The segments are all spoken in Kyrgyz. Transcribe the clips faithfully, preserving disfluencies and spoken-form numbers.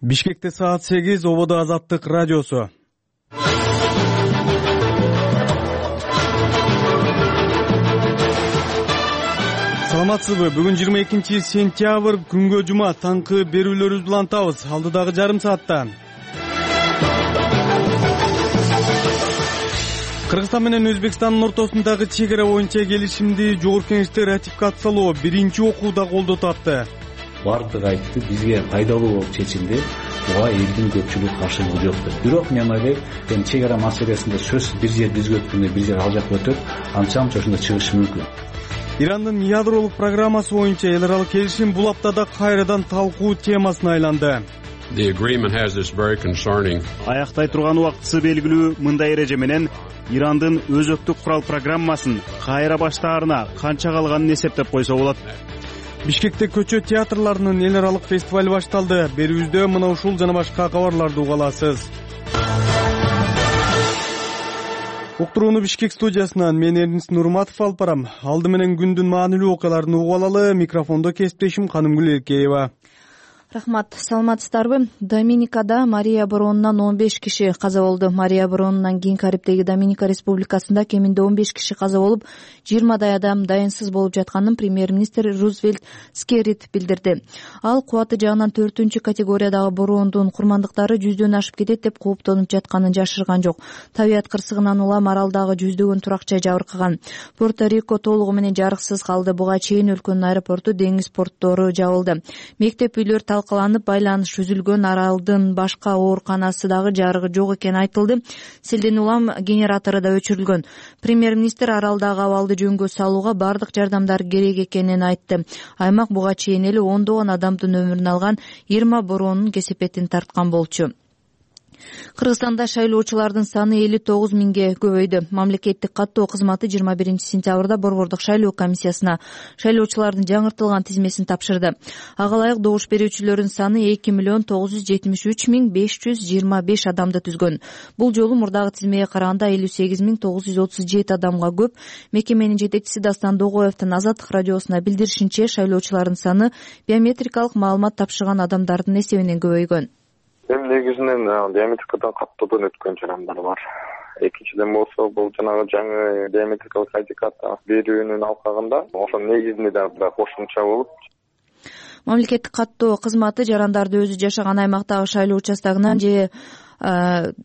Бишкекте саат сегиз, Ободо Азаттык радиосу. Саламатсызбы? Бүгүн жыйырма экинчи сентябрь, күнгө жума, таңкы берүүлөрүбүз менен табыз. Алдыдагы жарым саатта Кыргызстан менен Өзбекстандын ортосундагы чек ара боюнча келишимди Жогорку Кеңеште ратификациялоо биринчи окууда колдоо тапты. Бардыгы айтты, бизге пайдалуу болуп чечилди. Буга элдин көпчүлүк каршылыгы жок деп. Бирок мен ойлойм, эми чек ара маселесинде сөзсүз бир жер бизге өткөндө бир жер ал жакка өтөт, анча-мынча ошондо чыгышы мүмкүн. Ирандын ядролук программасы боюнча эл аралык келишим бул аптада кайрадан талкуу темасына айланды. The agreement has this very concerning. Аяктай турган убактысы белгилүү мындай эреже менен Ирандын өзөктүк курал программасын кайра баштаарына канча калганын эсептеп койсо болот. Бишкекте көчө театрларынын эл аралык фестивали башталды. Берүүбүздө мына ушул жана башка кабарларды уга аласыз. Уктурууну Бишкек студиясынан мен Эрдинс Нурматов алып барам. Алды менен күндүн маанилүү окуяларын угуп алалы. Микрофондо кесиптешим Канымгүл Эркеева. Рахмат, саламатсыздарбы? Доминикада Мария боронунан он беш киши каза болду. Мария боронунан кийин Карибдеги Доминика Республикасында кеминде он беш киши каза болуп, жыйырмадай адам дайынсыз болуп жатканын премьер-министр Рузвельт Скеррит билдирди. Ал кубаты жагынан төртүнчү категориядагы бороондун курмандыктары жүздөн ашып кетет деп кооптонуп жатканын жашырган жок. Табият кырсыгынан улам аралдагы жүздөгөн турак жай жабыркаган. Порто-Рико толугу менен жарыксыз калды. Буга чейин өлкөнүн аэропорту, деңиз порттору жабылды. Мектеп үйлөр талкаланып, байланыш үзүлгөн. Аралдын башка ооруканасы дагы жарыгы жок экени айтылды. Селден улам генератору да өчүрүлгөн. Премьер-министр аралдагы абалды жөнгө салууга бардык жардамдар керек экенин айтты. Аймак буга чейин эле ондогон адамдын өмүрүн алган жыйырма бороонун кесепетин тарткан болчу. Кыргызстанда шайлоочулардын саны элүү тогуз миңге көбөйдү. Мамлекеттик каттоо кызматы жыйырма биринчи сентябрда Борбордук шайлоо комиссиясына шайлоочулардын жаңыртылган тизмесин тапшырды. Ага ылайык добуш берүүчүлөрдүн саны эки миллион тогуз жүз жетимиш үч миң беш жүз жыйырма беш адамды түзгөн. Бул жолу мурдагы тизмеге караганда элүү сегиз миң тогуз жүз отуз жети адамга көп. Мекеменин жетекчиси Дастан Догоевдин Азаттык радиосуна билдиришинче, шайлоочулардын саны биометрикалык маалымат тапшырган адамдардын эсебинен көбөйгөн. Эми негизинен биометрикадан каттоодон өткөн жарандар бар. Экинчиден болсо бул жанагы жаңы биометрикалык сертификат берүүнүн алкагында ошонун негизинде дагы кошумча болуп. Мамлекеттик каттоо кызматы жарандарды өзү жашаган аймактагы шайлоо участогунан же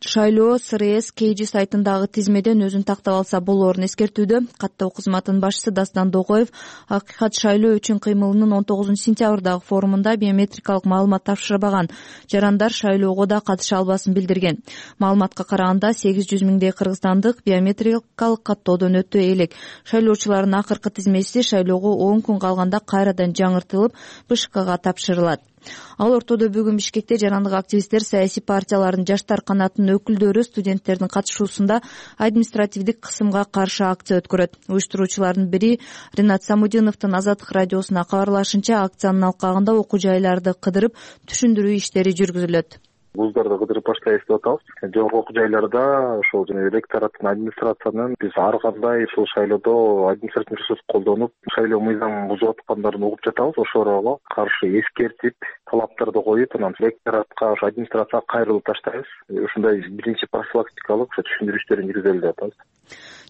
шайлоо СРС Кейжи сайтындагы тизмеден өзүн тактап алса болоорун эскертүүдө. Каттоо кызматынын башчысы Дастан Догоев акыйкат шайлоо үчүн кыймылынын он тогузунчу сентябрдагы форумунда биометрикалык маалымат тапшырбаган жарандар шайлоого да катыша албасын билдирген. Маалыматка караганда сегиз жүз миңдей кыргызстандык биометрикалык каттоодон өтө элек. Шайлоочулардын акыркы тизмеси шайлоого он күн калганда кайрадан жаңыртылып БШКга тапшырылат. Ал ортодо бүгүн Бишкекте жарандык активисттер, саясий партиялардын жаштар канатынын өкүлдөрү студенттердин катышуусунда административдик кысымга каршы акция өткөрөт. Уюштуруучулардын бири Ринат Самудиновдун Азаттык радиосуна кабарлашынча, акциянын алкагында окуу жайларды кыдырып түшүндүрүү иштери жүргүзүлөт. Вуздарды кыдырып баштайбыз деп атабыз. Жогорку окуу жайларда ошол жана электораттын, администрациянын биз ар кандай ушул шайлоодо административдик ресурс колдонуп, шайлоо мыйзамын бузуп аткандарын угуп жатабыз. Ошолорго каршы эскертип, талаптарды коюп, анан электоратка, ошо администрацияга кайрылып таштайбыз. Ушундай биринчи профилактикалык ошо түшүндүрүү иштерин жүргүзөлү деп атабыз.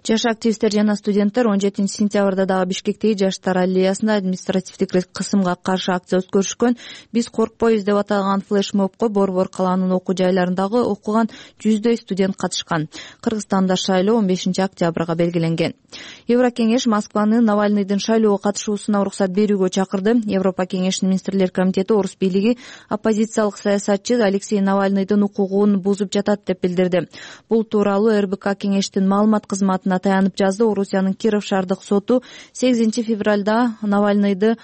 Жаш активисттер жана студенттер он жетинчи сентябрда дагы Бишкектеги жаштар аллеясында административдик кысымга каршы акция өткөрүшкөн. Биз коркпойбуз деп аталган флешмобко Борбор калаанын окуу жайларындагы окуган жүздөй студент катышкан. Кыргызстанда шайлоо он бешинчи октябрга белгиленген. Еврокеңеш Москваны Навальныйдын шайлоого катышуусуна уруксат берүүгө чакырды. Европа кеңешинин министрлер комитети Орус бийлиги оппозициялык саясатчы Алексей Навальныйдын укугун бузуп жатат деп билдирди. Бул тууралуу эр бэ ка кеңештин маалымат кызматына таянып жазды. Орусиянын Киров шаардык соту сегизинчи февралда Навальныйды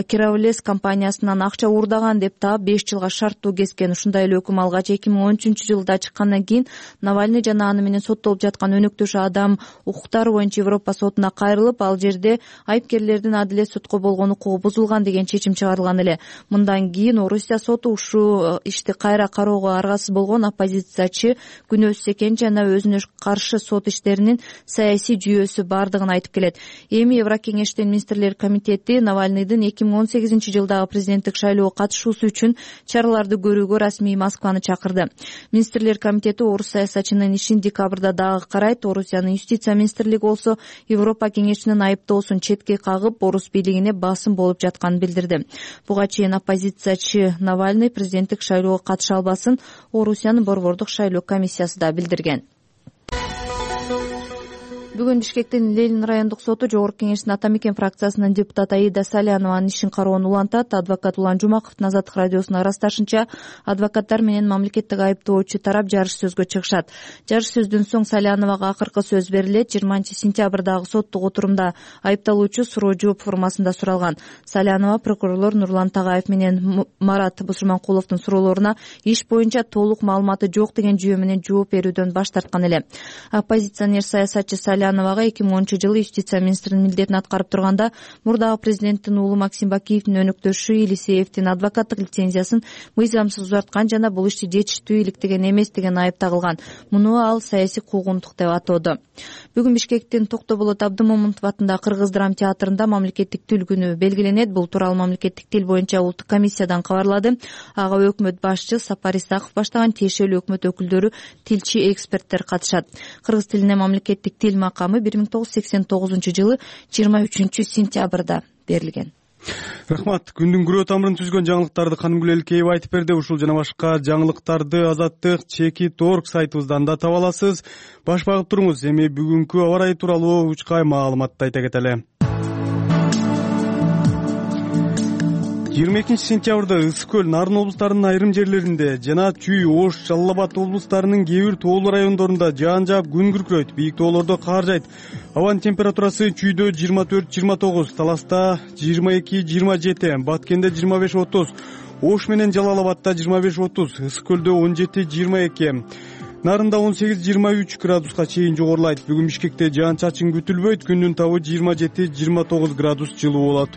Кировлес компаниясынан акча уурдаган деп таап беш жылга шарттуу кескен. Ушундай эле өкүм алгач эки миң он үчүнчү жылда чыккандан кийин Навальный жана аны менен соттолуп жаткан өнөктөш адам укуктары боюнча Европа сотуна кайрылып, ал жерде айыпкерлердин адилет сотко болгон укугу бузулган деген чечим чыгарылган эле. Мындан кийин Орусия соту ушул ишти кайра кароого аргасыз болгон оппозициячы күнөөсүз экенин жана өзүнө каршы сот иштеринин саясий жүйөсү бардыгын айтып келет. Эми Еврокеңештин министрлер комитети Навальныйдын эки миң он сегизинчи жылдагы президенттик шайлоого катышуусу үчүн чараларды көрүүгө расмий Москваны чакырды. Министрлер комитети орус саясатчынын ишин декабрда дагы карайт. Орусиянын юстиция министрлиги болсо Европа кеңешинин айыптоосун четке кагып, орус бийлигине басым болуп жатканын билдирди. Буга чейин оппозициячы Навальный президенттик шайлоого катыша албасын Орусиянын борбордук шайлоо комиссиясы да билдирген. Бүгүн Бишкектин Ленин райондук соту Жогорку Кеңештин Ата Мекен фракциясынын депутаты Аида Салянованын ишин кароонун улантат. Адвокат Улан Жумаковдун Азаттык радиосуна ырасташынча, адвокаттар менен мамлекеттик айыптоочу тарап жарыш сөзгө чыгышат. Жарыш сөздөн соң Саляновага акыркы сөз берилет. жыйырманчы сентябрдагы соттук отурумда айыпталуучу суроо жооп формасында суралган. Салянова прокурорлор Нурлан Тагаев менен Марат Бусурманкуловдун суроолоруна иш боюнча толук маалыматы жок деген жүйө менен жооп берүүдөн баш тарткан эле. Оппозиционер саясатчы Саляновага эки миң онунчу жылы юстиция министринин милдетин аткарып турганда мурдагы президенттин уулу Максим Бакиевдин өнөктөшү Елисеевдин адвокаттык лицензиясын мыйзамсыз узарткан жана бул ишти жетиштүү иликтеген эмес деген айып тагылган. Муну ал саясий куугунтук деп атоодо. Бүгүн Бишкектин Токтоболот Абдымомунтов атындагы Кыргыз драм театрында мамлекеттик тил күнү белгиленет. Бул тууралуу мамлекеттик тил боюнча улуттук комиссиядан кабарлады. Ага өкмөт башчы Сапар Исаков баштаган тиешелүү өкмөт өкүлдөрү, тилчи, эксперттер катышат. Кыргыз тилине мамлекеттик тил макамы бир миң тогуз жүз сексен тогузунчу жылы жыйырма үчүнчү сентябрда берилген. Рахмат. Күндүн күрөө тамырын түзгөн жаңылыктарды Канымгүл Элкеева айтып берди. Ушул жана башка жаңылыктарды Азаттык чекит точка орг сайтыбыздан да таба аласыз. Баш багып туруңуз. Эми бүгүнкү аба ырайы тууралуу учкай маалыматты айта кетели. жыйырма экинчи сентябрда Ысык көл, Нарын облустарынын айрым жерлеринде жана Чүй, Ош, Жалал Абад облустарынын кээ бир тоолуу райондорунда жаан жаап күн күркүрөйт. Бийик тоолордо кар жайт. Абанын температурасы Чүйдө жыйырма төрт жыйырма тогуз, Таласта жыйырма эки жыйырма жети, Баткенде жыйырма беш отуз, Ош менен Жалал Абадта жыйырма беш отуз, Ысык көлдө он жети жыйырма эки, Нарында он сегиз жыйырма үч градуска чейин жогорулайт. Бүгүн Бишкекте жаан чачын күтүлбөйт. Күндүн табы жыйырма жети жыйырма тогуз градус жылуу болот.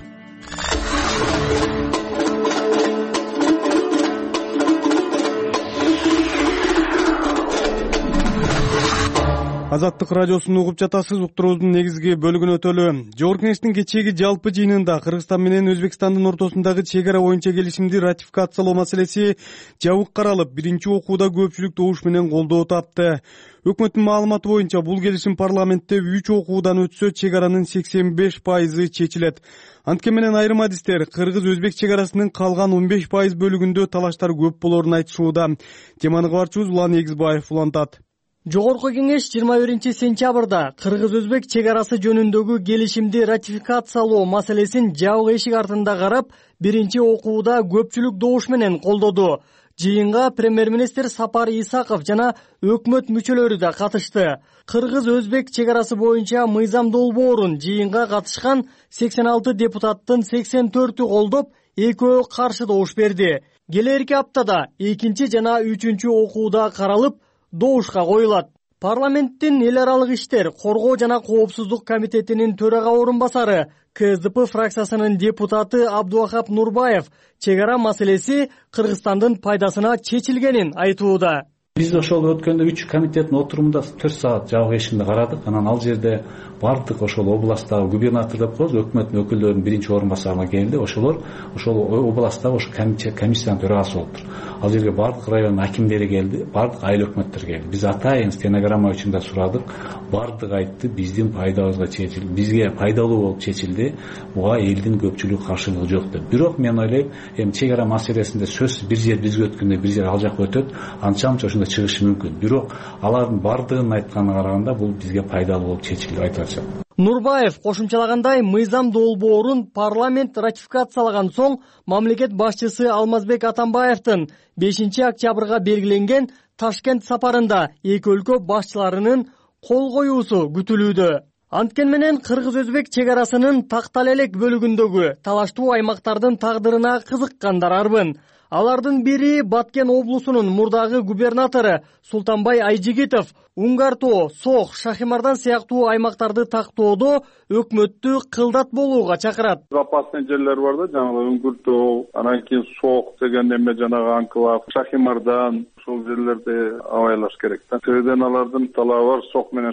Азаттык радиосун угуп жатасыз. Уктуруубуздун негизги бөлүгүнө өтөлү. Жогорку Кеңештин кечээги жалпы жыйынында Кыргызстан менен Өзбекстандын ортосундагы чек ара боюнча келишимди ратификациялоо маселеси жабык каралып, биринчи окууда көпчүлүк добуш менен колдоо тапты. Өкмөттүн маалыматы боюнча бул келишим парламентте үч окуудан өтсө чек аранын сексен беш пайызы чечилет. Анткени менен айрым адистер кыргыз-өзбек чек арасынын калган он беш пайыз бөлүгүндө талаштар көп болорун айтышууда. Теманы кабарчыбыз Улан Эгизбаев улантат. Жогорку Кеңеш жыйырма биринчи сентябрда кыргыз-өзбек чек арасы жөнүндөгү келишимди ратификациялоо маселесин жабык эшик артында карап, биринчи окууда көпчүлүк добуш менен колдоду. Жыйынга премьер-министр Сапар Исаков жана өкмөт мүчөлөрү да катышты. Кыргыз-өзбек чек арасы боюнча мыйзам долбоорун жыйынга катышкан сексен алты депутаттын сексен төртү колдоп, экөө каршы добуш берди. Келерки аптада экинчи жана үчүнчү окууда каралып, добушка коюлат. Парламенттин эл аралык иштер, коргоо жана коопсуздук комитетинин төрага орун басары Ка Эс Д П фракциясынын депутаты Абдувахап Нурбаев чек ара маселеси Кыргызстандын пайдасына чечилгенин айтууда. Биз ошол өткөндө үч комитеттин отурумунда төрт саат жабык эшикинде карадык. Анан ал жерде бардык ошол областтагы губернатор деп коебуз, өкмөттүн өкүлдөрүнүн биринчи орун басарына келди. Ошолор ошол областтагы ошо комиссиянын төрагасы болуптур. Ал жерге бардык райондун акимдери келди, бардык айыл өкмөттөр келди. Биз атайын стенограмма үчүн да сурадык. Бардык айтты, биздин пайдабызга чечилди, бизге пайдалуу болуп чечилди. Буга элдин көпчүлүгү каршылыгы жок деп. Бирок мен ойлойм, эми чек ара маселесинде сөзсүз бир жер бизге өткөндө бир жер ал жакка өтөт, анча-мынча ошондо чыгышы мүмкүн. Бирок алардын бардыгын айтканына караганда бул бизге пайдалуу болуп чечилди деп айтып атышат. Нурбаев кошумчалагандай, мыйзам долбоорун парламент ратификациялаган соң мамлекет башчысы Алмазбек Атамбаевдин бешинчи октябрга белгиленген Ташкент сапарында эки өлкө башчыларынын кол коюусу күтүлүүдө. Анткени менен кыргыз-өзбек чек арасынын Тактал-Элек бөлүгүндөгү талаштуу аймактардын тагдырына кызыккандар арбын. Алардын бири Баткен облусунун мурдагы губернатору Султанбай Айжигитов Уңгартоо, Сох, Шахимардан сыяктуу аймактарды тактоодо өкмөттү кылдат болууга чакырат. Запасный жерлер бар да, жанагы Үңгүртөө, анан кийин Сох деген эме жанагы анклав, Шахимардан, Ушул жерлерде абайлаш керек да. Сөйдөн алардын талабы бар, Сок менен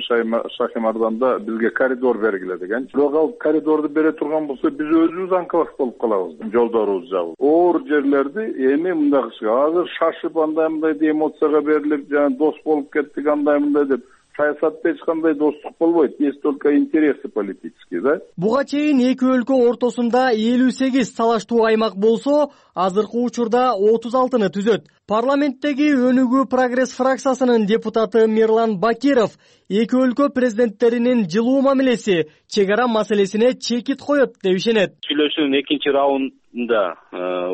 Шахимарданда бизге коридор бергиле деген. Бирок ал коридорду бере турган болсо биз өзүбүз анклав болуп калабыз. Жолдорубуз жабылып. Оор жерлерди эми мындай кылышка. Азыр шашып андай мындай эмоцияга берилип, жана дос болуп кеттик андай мындай деп саясатта эч кандай достук болбойт. Есть только интересы политические, да? Буга чейин эки өлкө ортосунда элүү сегиз талаштуу аймак болсо, азыркы учурда отуз алтыны түзөт. Парламенттеги Өнүгүү Прогресс фракциясынын депутаты Мирлан Бакиров эки өлкө президенттеринин жылуу мамилеси чек ара маселесине чекит коет деп ишенет. Сүйлөшүүнүн экинчи раундунда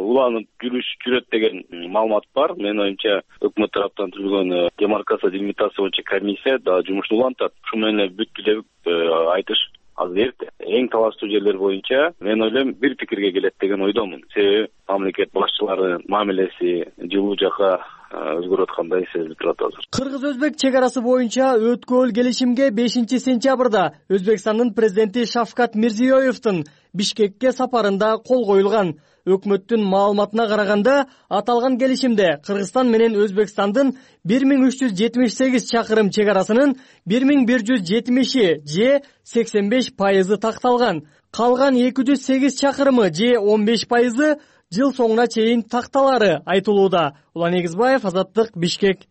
уланып жүрүш жүрөт деген маалымат бар. Менин оюмча, өкмөт тараптан түзүлгөн демаркация делимитация боюнча комиссия да жумушун улантат. Ушу менен бүттү деп айтыш азыр эрте. Эң талаштуу жерлер боюнча мен ойлойм бир пикирге келет деген ойдомун. Себеби мамлекет башчыларынын мамилеси жылуу жака өзгөрүп аткандай сезилип турат азыр. Кыргыз-өзбек чек арасы боюнча өткөл келишимге бешинчи сентябрда Өзбекстандын президенти Шавкат Мирзиёевдин Бишкекке сапарында кол коюлган. Өкмөттүн маалыматына караганда, аталган келишимде Кыргызстан менен Өзбекстандын бир миң үч жүз жетимиш сегиз чакырым чек арасынын бир миң бир жүз жетимиши же сексен беш пайызы такталган. Калган эки жүз сегиз чакырымы же он беш пайызы жыл соңуна чейин такталары айтылууда. Улан Эгизбаев, Азаттык, Бишкек.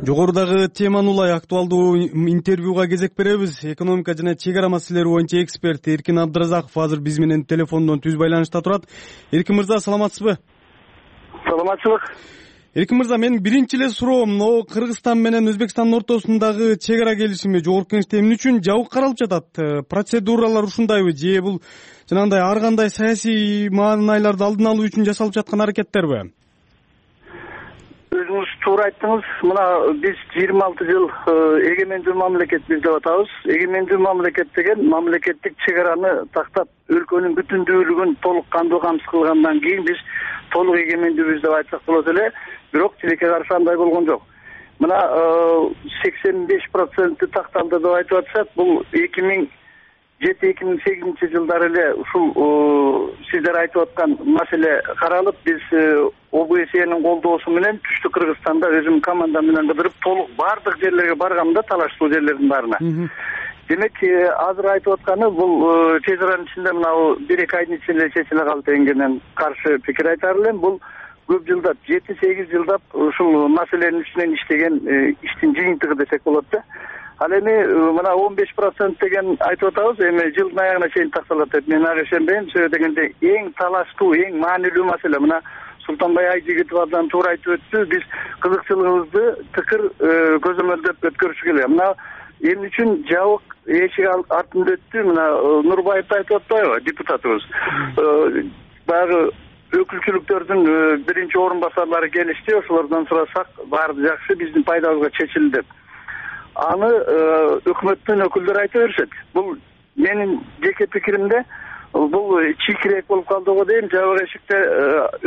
Жогорудагы теманы улай актуалдуу интервьюга кезек беребиз. Экономика жана чек ара маселелери боюнча эксперт Эркин Абдыразаков азыр биз менен телефондон түз байланышта турат. Эркин мырза, саламатсызбы? Саламатчылык. Эркин мырза, менин биринчи эле суроом, но Кыргызстан менен Өзбекстандын ортосундагы чек ара келишими жогорку кеңеште эмне үчүн жабык каралып жатат? Процедуралар ушундайбы же бул жанагындай ар кандай саясий маанайларды алдын алуу үчүн жасалып жаткан аракеттерби? Өзүңүз туура айттыңыз. Мына биз жыйырма алты жыл эгемендүү мамлекетпиз деп атабыз. Эгемендүү мамлекет деген мамлекеттик чек араны тактап, өлкөнүн бүтүндүүлүгүн толук кандуу камсыз кылгандан кийин биз толук эгемендүүбүз деп айтсак болот эле. Бирок тилекке каршы андай болгон жок. Мына сексен беш проценти такталды деп айтып атышат. Бул эки миң жети эки миң сегизинчи жылдары эле ушул сиздер айтып аткан маселе каралып, биз О Б С Энин колдоосу менен түштүк Кыргызстанда өзүм команда менен кыдырып толук бардык жерлерге баргамда, талаштуу жерлердин баарына. Демек, азыр айтып атканы бул тез аранын ичинде мына бир эки айдын ичинде чечиле калды дегенге каршы пикир айтар элем. Бул көп жылдап, жети сегиз жылдап ушул маселенин үстүнөн иштеген иштин жыйынтыгы десек болот да. Ал эми мына он беш процент деген айтып атабыз, эми жылдын аягына чейин такталат деп мен ага ишенбейм. Себеби дегенде эң талаштуу, эң маанилүү маселе мына Султанбай Айжигитов абдан туура айтып өттү. Биз кызыкчылыгыбызды тыкыр көзөмөлдөп өткөрүш керек. Мына эмне үчүн жабык эшик артында өттү? Мына Нурбаев айтып атпайбы, депутатыбыз. Баягы өкүлчүлүктөрдүн биринчи орун басарлары келишти, ошолордон сурасак, баары жакшы, биздин пайдабызга чечилди деп. Аны өкмөттүн өкүлдөрү айта беришет. Бул менин жеке пикиримде бул чийкирээк болуп калды го дейм, жабык эшикте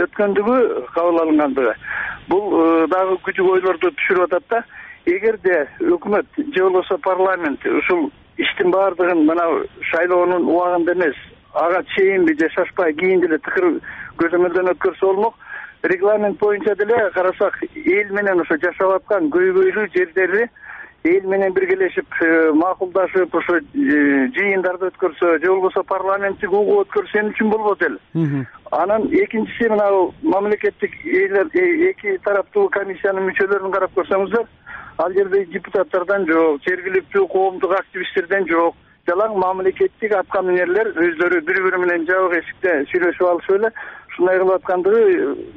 өткөндүгү кабыл алынгандыгы. Бул дагы күчүк ойлорду түшүрүп атат да. Эгерде өкмөт же болбосо парламент ушул иштин баардыгын мына шайлоонун убагында эмес, ага чейинби же шашпай кийин деле тыкыр көзөмөлдөн өткөрсө болмок. Регламент боюнча деле карасак, эл менен ошо жашап аткан көйгөйлүү жерлерди эл менен биргелешип макулдашып ошо жыйындарды өткөрсө же болбосо парламенттик угуп өткөрсө эмне үчүн болбойт эле. Анан экинчиси мына мамлекеттик эки тараптуу комиссиянын мүчөлөрүн карап көрсөңүздөр, ал жерде депутаттардан жок, жергиликтүү коомдук активисттерден жок, жалаң мамлекеттик аткаминерлер өздөрү бири-бири менен жабык эшикте сүйлөшүп алышып эле ушундай кылып аткандыгы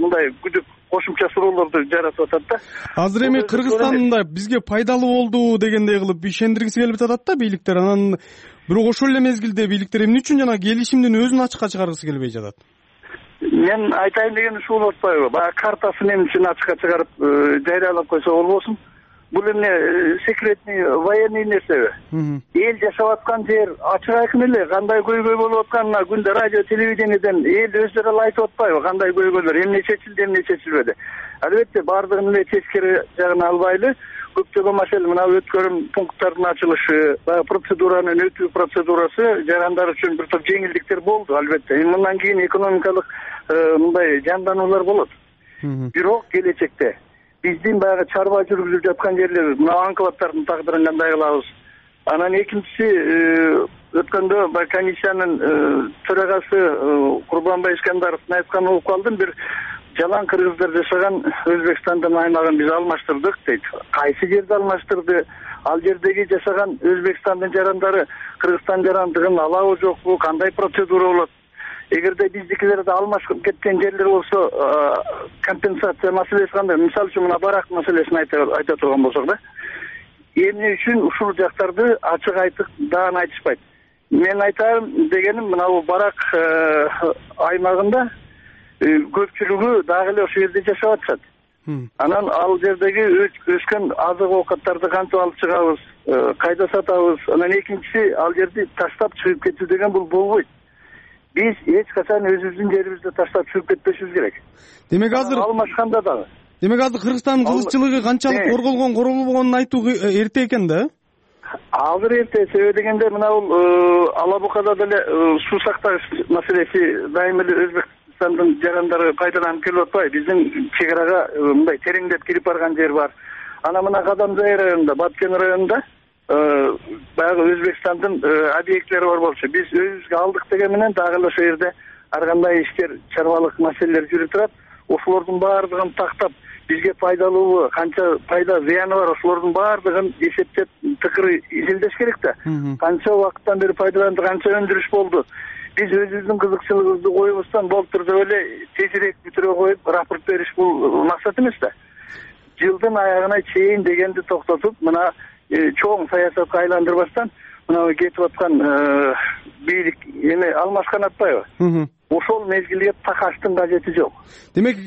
мындай күдүк кошумча суроолорду жаратып атат да. Азыр эми Кыргызстанда бизге пайдалуу болду дегендей кылып ишендиргиси келип жатат да бийликтер. Анан бирок ошол эле мезгилде бийликтер эмне үчүн жана келишимдин өзүн ачыкка чыгаргысы келбей жатат? Мен айтайын деген ушул болуп атпайбы? Баягы картасын эмне үчүн ачыкка чыгарып жарыялап койсо болбосун? Бул эмне секретный военный нерсеби? Эл жашап аткан жер ачык айкын эле, кандай көйгөй болуп атканына күндө радио телевидениеден эл өздөрү эле айтып атпайбы, кандай көйгөйлөр, эмне чечилди, эмне чечилбеди. Албетте баардыгын эле тескери жагына албайлы, көптөгөн маселе мына өткөрүм пункттардын ачылышы, баягы процедуранын өтүү процедурасы жарандар үчүн бир топ жеңилдиктер болду албетте. Мындан кийин экономикалык мындай жандануулар болот. Бирок келечекте биздин баягы чарба жүргүзүп жаткан жерлерибиз, мына анклавдардын тагдырын кандай кылабыз? Анан экинчиси өткөндө баягы комиссиянын төрагасы Курбанбай Искандаровдун айтканын угуп калдым. Бир жалаң кыргыздар жашаган Өзбекстандын аймагын биз алмаштырдык дейт. Кайсы жерде алмаштырды? Ал жердеги жашаган Өзбекстандын жарандары Кыргызстан жарандыгын алабы жокпу? Кандай процедура болот? Эгерде биздикилерде алмашып кеткен жерлер болсо, компенсация маселеси кандай? Мисалы үчүн мына барак маселесин айта турган болсок да. Эмне үчүн ушул жактарды ачык айтып даан айтышпайт? Мен айтарым дегеним мына бул барак аймагында көпчүлүгү дагы эле ошол жерде жашап атышат. Анан ал жердеги өскөн азык оокаттарды кантип алып чыгабыз, кайда сатабыз? Анан экинчиси ал жерди таштап чыгып кетүү деген бул болбойт. Биз эч качан өзүбүздүн жерибизди таштап чыгып кетпешибиз керек. Демек азыр алмашканда дагы. Демек азыр Кыргызстандын кызыкчылыгы канчалык корголгон, корголбогонун айтуу эрте экен да? Азыр эрте, себеби дегенде мына бул Алабукада деле суу сакташ маселеси дайым эле Өзбекстандын жарандары пайдаланып келип атпайбы? Биздин чек арага мындай тереңдеп кирип барган жер бар. Анан мына Кадамжай районунда, Баткен районунда баягы Өзбекстандын объекттери бар болчу. Биз өзүбүзгө алдык деген менен дагы эле ошол жерде ар кандай иштер, чарбалык маселелер жүрүп турат. Ошолордун баардыгын тактап, бизге пайдалуубу, канча пайда зыяны бар, ошолордун баардыгын эсептеп, тыкыры изилдеш керек да. Канча убакыттан бери пайдаланды, канча өндүрүш болду. Биз өзүбүздүн кызыкчылыгыбызды коюбуздан болтур деп эле тезирээк бүтүрө коюп рапорт бериш бул максат эмес да. Жылдын аягына чейин дегенди токтотуп, мына чоң саясатка айландырбастан мына кетип аткан бийлик эме алмашкан атпайбы? Ошол мезгилге такаштын кажети жок. Демек,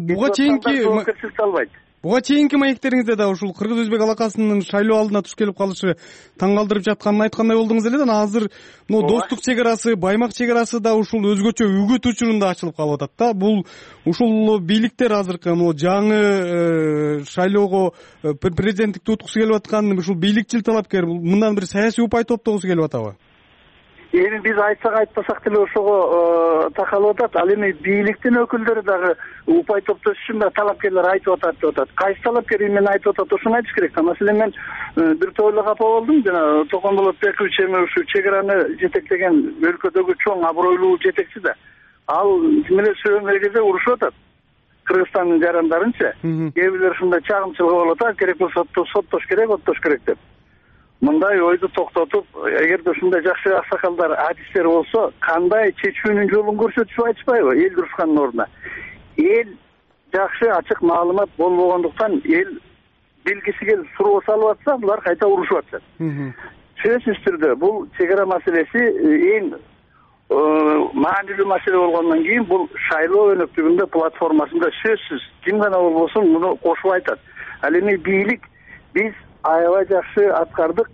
буга чейинки жоопкерчиликти албайт. Буга чейинки маектериңизде да ушул кыргыз-өзбек алакасынын шайлоо алдына туш келип калышы таң калтырып жатканын айткандай болдуңуз эле да. Азыр мына достук чек арасы, Баймак чек арасы да ушул өзгөчө үгүт учурунда ачылып калып атат да. Бул ушул бийликтер азыркы могу жаңы шайлоого президенттикти уткусу келип аткан ушул бийликчил талапкер, мындан бир саясий упай топтогусу келип атабы? Эми биз айтсак айтпасак деле ошого такалып атат. Ал эми бийликтин өкүлдөрү дагы упай топтош үчүн да талапкерлер айтып атат деп атат. Кайсы талапкер эмне айтып атат, ошону айтыш керек. Маселен мен бир топ эле капа болдум. Жана Токонболот Бекович эми ушу чек араны жетектеген өлкөдөгү чоң абройлуу жетекчи да. Ал менен сөйлөгөн кезде урушуп атат. Кыргызстандын жарандарынча кээ бирлер ушундай чагымчылык болуп атат, керек болсо соттош керек, оттош керек деп. Мындай ойду токтотуп, эгерде ушундай жакшы аксакалдар, адистер болсо, кандай чечүүнүн жолун көрсөтүшүп айтышпайбы эл дурушкандын ордуна? Эл жакшы ачык маалымат болбогондуктан эл билгиси келип суроо салып атса, булар кайта урушуп атышат. Сөзсүз түрдө бул чек ара маселеси эң маанилүү маселе болгондон кийин бул шайлоо өнөктүгүндө платформасында сөзсүз ким гана болбосун муну кошуп айтат. Ал эми бийлик биз аябай жакшы аткардык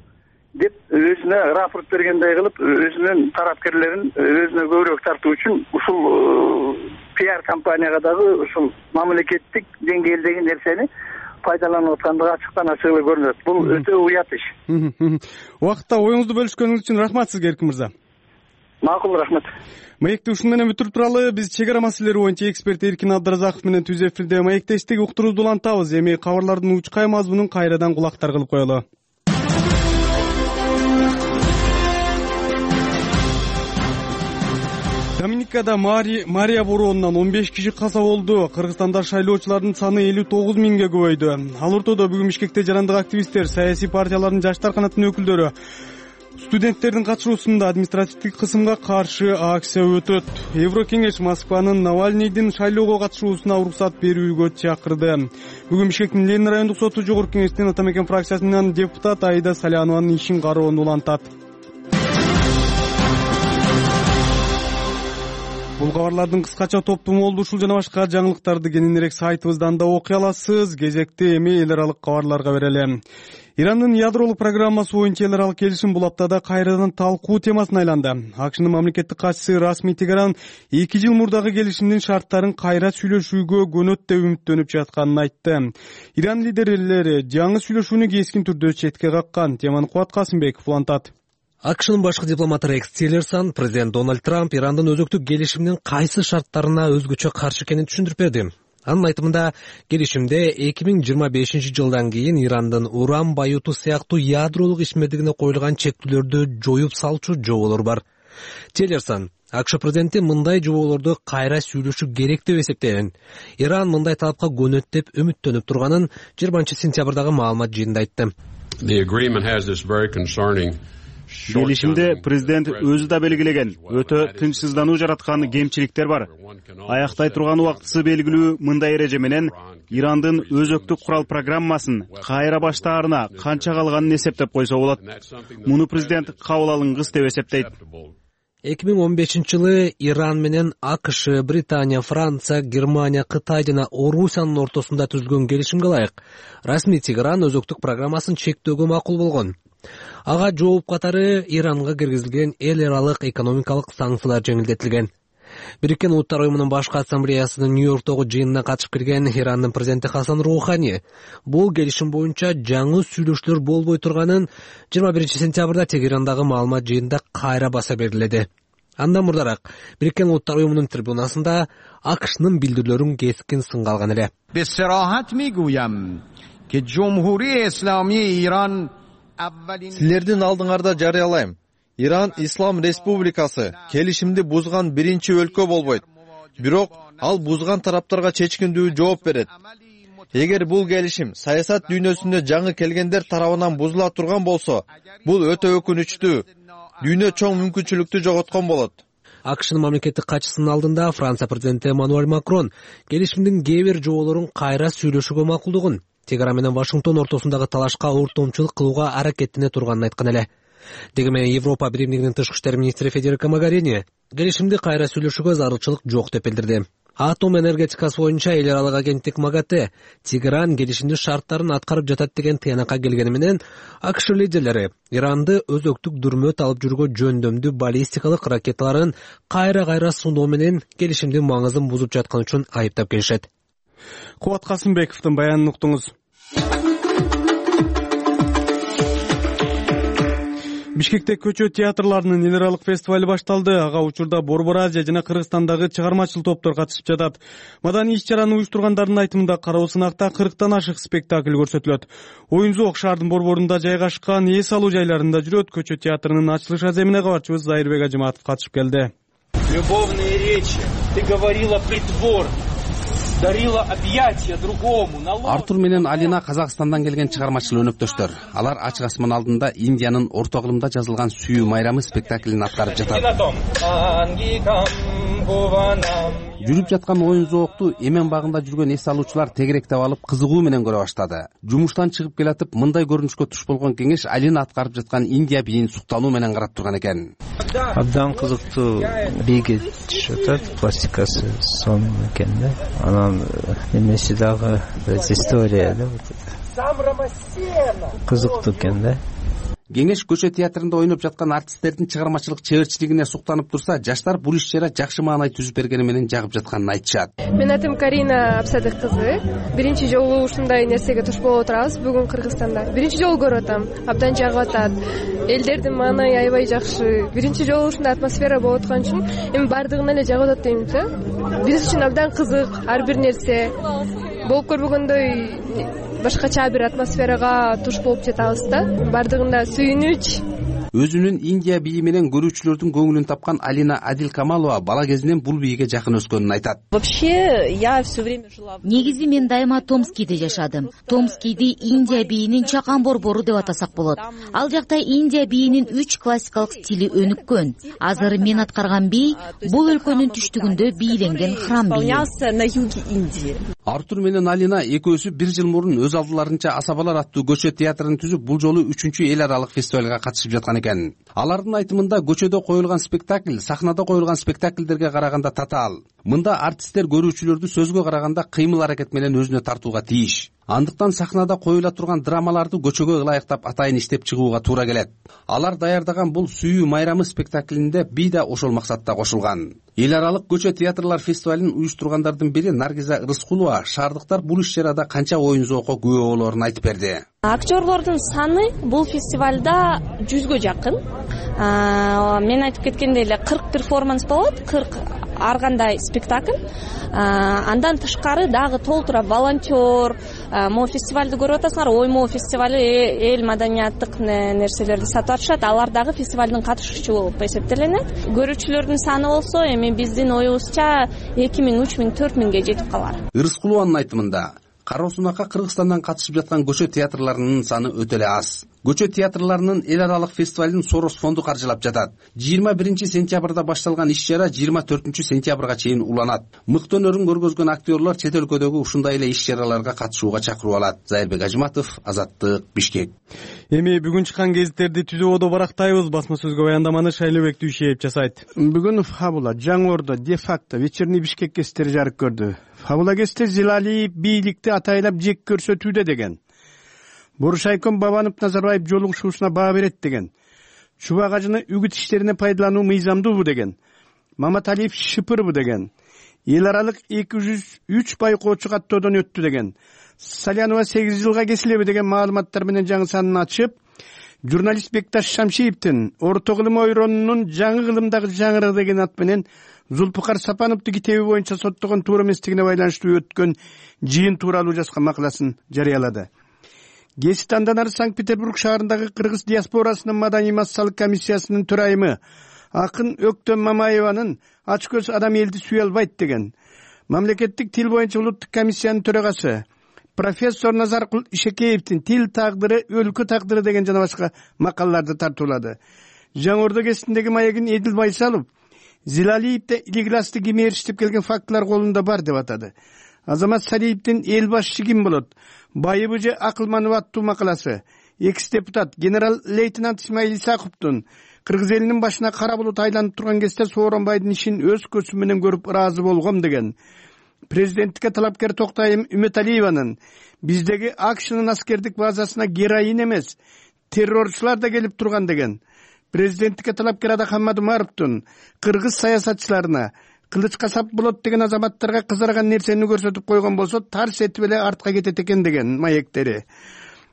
деп өзүнө рапорт бергендей кылып, өзүнүн тарапкерлерин өзүнө көбүрөөк тартуу үчүн ушул пиар компанияга дагы ушул мамлекеттик деңгээлдеги нерсени пайдаланып аткандыгы ачыктан ачык эле көрүнөт. Бул өтө уят иш. Убакытта оюңузду бөлүшкөнүңүз үчүн рахмат сизге, Эркин мырза. Макул, рахмат. Маекти ушуну менен бүтүрүп туралы. Биз чек ара маселелери боюнча эксперт Эркин Абдыразаков менен түз эфирде маектештик уктуруубузду улантабыз. Эми кабарлардын учкай мазмунун кайрадан кулактар кылып коелу. Доминикада Мария бороонунан он беш киши каза болду. Кыргызстанда шайлоочулардын саны элүү тогуз миңге көбөйдү. Ал ортодо бүгүн Бишкекте жарандык активисттер, саясий партиялардын жаштар канатынын өкүлдөрү, студенттердин катышуусунда административдик кысымга каршы акция өтөт. Еврокеңеш Москванын Навальныйдин шайлоого катышуусуна уруксат берүүгө чакырды. Бүгүн Бишкектин Ленин райондук соту жогорку кеңештин Ата Мекен фракциясынын депутаты Аида Салянованын ишин кароону улантат. Бул кабарлардын кыскача топтому болду. Ушул жана башка жаңылыктарды кененирээк сайтыбыздан да окуй аласыз. Кезекти эми эл аралык кабарларга берели. Ирандын ядролук программасы боюнча эл аралык келишим бул аптада кайрадан талкуу темасына айланды. АКШнын мамлекеттик катчысы расмий Тегеран эки жыл мурдагы келишимдин шарттарын кайра сүйлөшүүгө көнөт деп үмүттөнүп жатканын айтты. Иран лидерлери жаңы сүйлөшүүнү кескин түрдө четке каккан. Теманы Кубат Касымбеков улантат. АКШнын башкы дипломаты Рекс Тиллерсон президент Дональд Трамп Ирандын өзөктүк келишимдин кайсы шарттарына өзгөчө каршы экенин түшүндүрүп берди. Анын айтымында келишимде эки миң жыйырма бешинчи жылдан кийин Ирандын уран байытуу сыяктуу ядролук ишмердигине коюлган чектөөлөрдү жоюп салчу жоболор бар. Тиллерсон АКШ президенти мындай жоболорду кайра сүйлөшүү керек деп эсептеген. Иран мындай талапка көнөт деп үмүттөнүп турганын жыйырманчы сентябрдагы маалымат жыйынында айтты. Келишимде президент өзү да белгилеген өтө тынчсыздануу жараткан кемчиликтер бар. Аяктай турган убактысы белгилүү мындай эреже менен Ирандын өзөктүк курал программасын кайра баштаарына канча калганын эсептеп койсо болот. Муну президент кабыл алынгыс деп эсептейт. эки миң он бешинчи жылы Иран менен АКШ, Британия, Франция, Германия, Кытай жана Орусиянын ортосунда түзүлгөн келишимге ылайык расмий Тегеран өзөктүк программасын чектөөгө макул болгон. Ага жооп катары Иранга киргизилген эл аралык экономикалык санкциялар жеңилдетилген. Бириккен Улуттар уюмунун башкы ассамблеясынын Нью-Йорктогу жыйынына катышып келген Ирандын президенти Хасан Роухани бул келишим боюнча жаңы сүйлөшүүлөр болбой турганын жыйырма биринчи сентябрда Тегерандагы маалымат жыйынында кайра баса берилди. Андан мурдараак Бириккен Улуттар уюмунун трибунасында АКШнын билдирүүлөрүн кескин сынга алган эле. Бесарахат мигуям ки Жумһурий Исламий Иран Силердин алдыңарда жарыялайм. Иран Ислам Республикасы келишимди бузган биринчи өлкө болбойт. Бирок ал бузган тараптарга чечкиндүү жооп берет. Эгер бул келишим саясат дүйнөсүнө жаңы келгендер тарабынан бузула турган болсо, бул өтө өкүнүчтүү. Дүйнө чоң мүмкүнчүлүктү жоготкон болот. АКШнын мамлекеттик катчысынын алдында Франция президенти Эммануэль Макрон келишимдин кээ бир жоболорун кайра сүйлөшүүгө макулдугун, Тегеран менен Вашингтон ортосундагы талашка ортомчулук кылууга аракеттене турганын айткан эле. Деги менен Европа биримдигинин тышкы иштер министри Федерико Могарини келишимди кайра сүйлөшүүгө зарылчылык жок деп билдирди. Атом энергетикасы боюнча эл аралык агенттик МАГАТЭ Тегеран келишимдин шарттарын аткарып жатат деген тыянакка келгени менен АКШ лидерлери Иранды өзөктүк дүрмөт алып жүргө жөндөмдүү баллистикалык ракеталарын кайра-кайра суноо менен келишимдин маңызын бузуп жаткан үчүн айыптап келишет. Кубат Касымбековдун баянын уктуңуз. Бишкекте көчө театрларынын эл аралык фестивали башталды. Ага учурда Борбор Азия жана Кыргызстандагы чыгармачыл топтор катышып жатат. Маданий иш-чараны уюштургандардын айтымында Кароосунакта кырктан ашык спектакль көрсөтүлөт. Оюн-зоок шаардын борборунда жайгашкан эс алуу жайларында жүрөт. Көчө театрынын ачылыш аземине кабарчыбыз Зайырбек Ажыматов катышып келди. Любовные речи, ты говорила притвор. Артур менен Алина Казакстандан келген чыгармачыл өнөктөштөр. Алар ачык асман алдында Индиянын орто кылымда жазылган сүйүү майрамы спектаклин аткарып жатат. Жүрүп жаткан оюн-зоокту эмен багында жүргөн эс алуучулар тегеректеп алып кызыгуу менен көрө баштады. Жумуштан чыгып келатып мындай көрүнүшкө туш болгон кеңеш Алина аткарып жаткан Индия биин суктануу менен карап турган экен. Абдан кызыктуу бийге түшүп атат, пластикасы сонун экен да. Анан эмеси дагы история да. Кызыктуу экен да. Кеңеш көчө театрында ойноп жаткан артисттердин чыгармачылык чеберчилигине суктанып турса, жаштар бул иш-чара жакшы маанай түзүп бергени менен жагып жатканын айтышат. Менин атым Карина Абсадык кызы. Биринчи жолу ушундай нерсеге туш болуп отурабыз бүгүн Кыргызстанда. Биринчи жолу көрүп атам. Абдан жагып атат. Элдердин маанайы аябай жакшы. Биринчи жолу ушундай атмосфера болуп аткан үчүн эми бардыгына эле жагып атат дейм да. Биз үчүн абдан кызык ар бир нерсе. Болуп көрбөгөндөй башкача бир атмосферага туш болуп жатабыз да. Бардыгында сүйүнүч. Өзүнүн Индия бийи менен көрүүчүлөрдүн көңүлүн тапкан Алина Адил Камалова бала кезинен бул бийге жакын өскөнүн айтат. Вообще я все время жила. Негизи мен дайыма Томскийде жашадым. Томскийди Индия бийинин чакан борбору деп атасак болот. Ал жакта Индия бийинин үч классикалык стили өнүккөн. Азыр мен аткарган бий бул өлкөнүн түштүгүндө бийленген храм бийи. На юге Индии. Артур менен Алина экөөсү бир жыл мурун өз алдыларынча Асабалар аттуу көчө театрын түзүп, бул жолу үчүнчү эл аралык фестивалга катышып жаткан экен. Алардын айтымында көчөдө коюлган спектакль сахнада коюлган спектакльдерге караганда татаал. Мында артисттер көрүүчүлөрдү сөзгө караганда кыймыл аракет менен өзүнө тартууга тийиш. андыктан сахнада коюла турган драмаларды көчөгө ылайыктап атайын иштеп чыгууга туура келет. Алар даярдаган бул Сүйүү майрамы спектаклинде би да ошол максатта кошулган. Эл аралык көчө театрлар фестивалын уюштургандардын бири Наргиза Рыскулова шаардыктар бул иш-чарада канча оюн зоокко күбө болоорун айтып берди. Актерлордун саны бул фестивалда жүзгө жакын. Мен айтып кеткендей эле кырк перформанс болот, кырк ар кандай спектакль. Андан тышкары дагы толтура волонтер, могу фестивалды көрүп атасыңар, оймоо фестивали эл маданияттык нерселерди сатып атышат. Алар дагы фестивалдын катышуучу болуп эсептелинет. Көрүүчүлөрдүн саны болсо эми биздин оюбузча эки миң, үч миң, төрт миңге жетип калар. Рыскулованын айтымында Кара Сунакка Кыргызстандан катышып жаткан көчө театрларынын саны өтө эле аз. Көчө театрларынын эл аралык фестивалын Сорос фонду каржылап жатат. жыйырма биринчи сентябрда башталган иш-чара жыйырма төртүнчү сентябрга чейин уланат. Мыкты өнөрүн көргөзгөн актерлор чет өлкөдөгү ушундай эле иш-чараларга катышууга чакырып алат. Зайырбек Ажматов, Азаттык, Бишкек. Эми бүгүн чыккан гезиттерди түзүүбөдө барактайбыз. Басма сөзгө баяндаманы Шайлообек Дүйшеев жасайт. Бүгүн Фабула, Жаңы Ордо, Де-факто, Вечерний Бишкек гезиттери жарык көрдү. Фабула гезити Зилалиев бийликти атайлап жек көрсөтүүдө деген. Буршайком Бабанов Назарбаев жолугушуусуна баа берет деген. Чубак ажыны үгүт иштерине пайдалануу мыйзамдуубу деген. Маматалиев шыпырбы деген. Эл аралык эки жүз үч байкоочу каттоодон өттү деген. Салянова сегиз жылга кесилеби деген маалыматтар менен жаңы санын ачып, журналист Бекташ Шамшиевдин Орто кылым ойронунун жаңы кылымдагы жаңырыгы деген ат менен Зулпукар Сапановду китеби боюнча соттогон туура эместигине байланыштуу өткөн жыйын тууралуу жазган макаласын жарыялады. Гезит андан ары Санкт-Петербург шаарындагы кыргыз диаспорасынын маданий массалык комиссиясынын төрайымы акын Өктөм Мамаеванын ач көз адам элди сүйө албайт деген. Мамлекеттик тил боюнча улуттук комиссиянын төрагасы профессор Назаркул Ишекеевдин тил тагдыры өлкө тагдыры деген жана башка макалаларды тартуулады. Жаңы Ордо гезитиндеги маегин Эдил Байсалов Зилалиевде илигласты кимээриштип келген фактылар колунда бар деп атады. Азамат Салиевдин эл башчы ким болот? Байыбы же Акылманов аттуу макаласы. Экс-депутат генерал лейтенант Исмаил Исаковдун кыргыз элинин башына кара булут айланып турган кезде Сооронбайдын ишин өз көзүм менен көрүп ыраазы болгом деген. Президенттикке талапкер Токтайым Үмөталиеванын биздеги АКШнын аскердик базасына героин эмес, террорчулар да келип турган деген. Президенттикке талапкер Адахан Мадумаровдун кыргыз саясатчыларына кылыч касап болот деген азаматтарга кызарган нерсени көрсөтүп койгон болсо тарс этип эле артка кетет экен деген маектери.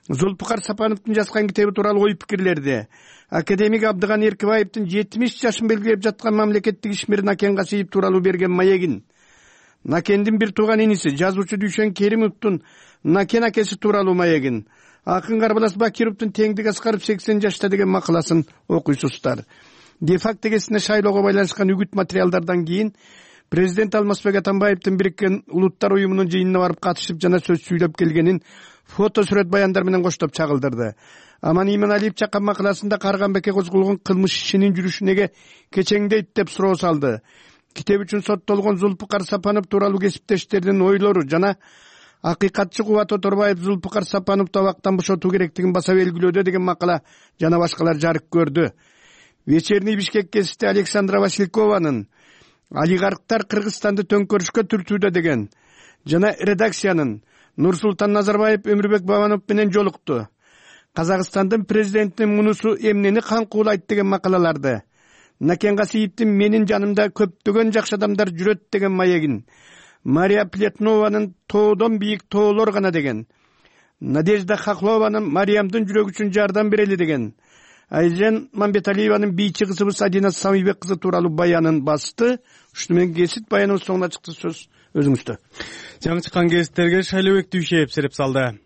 Зулпукар Сапановдун жазган китеби тууралуу ой пикирлерди. Академик Абдыган Эркибаевдин жетимиш жашын белгилеп жаткан мамлекеттик ишмер Накен Касиев тууралуу берген маегин. Накендин бир тууган иниси жазуучу Дүйшөн Керимовдун Накен акеси тууралуу маегин. Акын Карбалас Бакировдун Теңдик Аскаров сексен жашта деген макаласын окуйсуздар. Де-факто гезитине шайлоого байланышкан үгүт материалдардан кийин президент Алмазбек Атамбаевдин Бириккен Улуттар уюмунун жыйынына барып катышып жана сөз сүйлөп келгенин фото сүрөт баяндар менен коштоп чагылдырды. Аман Иманалиев чаккан макаласында Карганбекке козголгон кылмыш ишинин жүрүшүнө кечеңдейт деп суроо салды. Китеп үчүн соттолгон Зулпукар Сапанов тууралуу кесиптештердин ойлору жана акыйкатчы Кубат Оторбаев Зулпукар Сапановду абактан бошотуу керектигин баса белгилөөдө деген макала жана башкалар жарык көрдү. Вечерний Бишкек гезити Александра Василькованын олигархтар Кыргызстанды төңкөрүшкө түртүүдө деген жана редакциянын Нурсултан Назарбаев Өмүрбек Бабанов менен жолукту. Казакстандын президентинин мунусу эмнени каңкуулайт деген макалаларды. Накен Касиевдин менин жанымда көптөгөн жакшы адамдар жүрөт деген маегин. Мария Плетнованын тоодон бийик тоолор гана деген. Надежда Хохлованын Мариямдын жүрөгү үчүн жардам берели деген. Айжан Мамбеталиеванын бийчи кызыбыз Адина Самыйбек кызы тууралуу баянын басты. Ушуну менен гезит баяныбыз соңуна чыкты. Сөз өзүңүздө. Жаңы чыккан гезиттерге Шайлообек Дүйшеев сереп салды.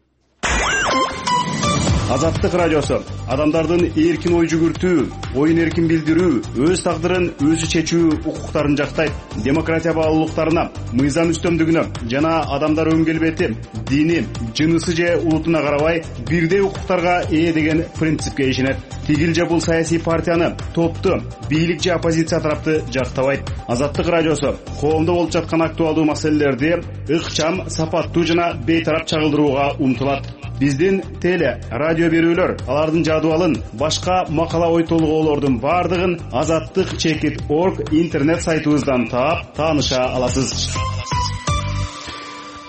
Азаттык радиосу адамдардын эркин ой жүгүртүү, оюн эркин билдирүү, өз тагдырын өзү чечүү укуктарын жактайт. Демократия баалуулуктарына, мыйзам үстөмдүгүнө жана адамдар өң келбети, дини, жынысы же улутуна карабай бирдей укуктарга ээ деген принципке ишенет. Тигил же бул саясий партияны, топту, бийлик же оппозиция тарапты жактабайт. Азаттык радиосу коомдо болуп жаткан актуалдуу маселелерди ыкчам, сапаттуу жана бейтарап чагылдырууга умтулат. Биздин теле, радио берүүлөр, алардын жадыбалын, башка макала ой толгоолордун бардыгын азаттык чекит точка орг интернет сайтыбыздан таап, тааныша аласыз.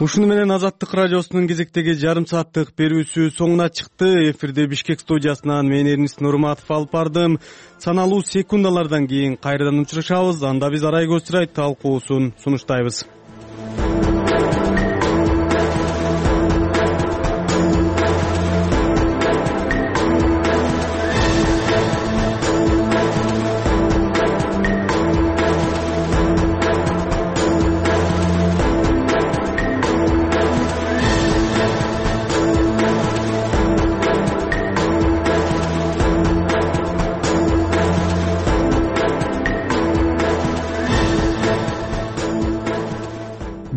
ушуну менен Азаттык радиосунун кезектеги жарым сааттык берүүсү соңуна чыкты. Эфирде Бишкек студиясынан мен Эрнис Нурматов алып бардым. Саналуу секундалардан кийин кайрадан учурашабыз. Анда биз Арай Көчүрай талкуусун сунуштайбыз.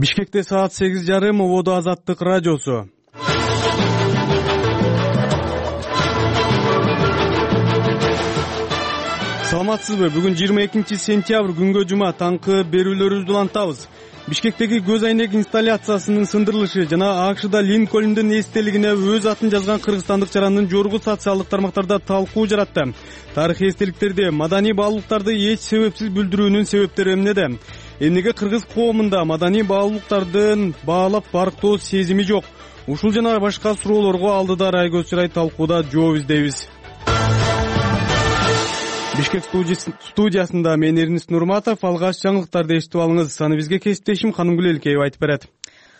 Бишкекте саат сегиз жарым, ободо Азаттык радиосу. Саламатсызбы? Бүгүн жыйырма экинчи сентябрь күнгө жума таңкы берүүлөрүбүздү улантабыз. Бишкектеги көз айнек инсталляциясынын сындырылышы жана АКШда Линкольндун эстелигине өз атын жазган кыргызстандык жарандын жогорку социалдык тармактарда талкуу жаратты. Тарыхый эстеликтерде маданий баалуулуктарды эч себепсиз бүлдүрүүнүн себептери эмнеде? Эмнеге кыргыз коомунда маданий баалуулуктардын баалап барктоо сезими жок? Ушул жана башка суроолорго алдыда Арай Көчүрай талкууда жооп издейбиз. Бишкек студиясында мен Эрнис Нурматов. Алгач жаңылыктарды эшитип алыңыз. Аны бизге кесиптешим Ханымгүл Элкеева айтып берет.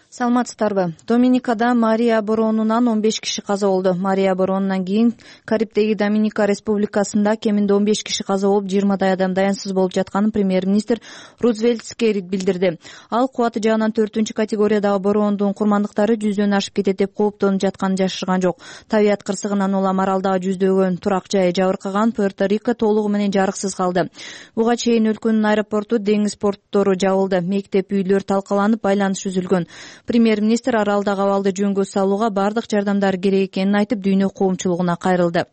Саламатсыздарбы? Доминикада Мария Боронунан он беш киши каза болду. Мария Боронунан кийин Карибдеги Доминика Республикасында кеминде он беш киши каза болуп, жыйырмадай адам даянсыз болуп жатканын премьер-министр Рузвельт Скеррит билдирди. Ал кубаты жагынан төртүнчү категориядагы бороондун курмандыктары жүздөн ашып кетет деп кооптонуп жатканын жашырган жок. Табият кырсыгынан улам аралдагы жүздөгөн турак жай жабыркаган, Пуэрто-Рико толугу менен жарыксыз калды. Буга чейин өлкөнүн аэропорту, деңиз порттору жабылды. Мектеп, үйлөр талкаланып, байланыш үзүлгөн. Премьер-министр аралдагы абалды жөнгө салууга бардык жардамдар керек экенин айтып, дүйнө коомчулугуна кайрылды.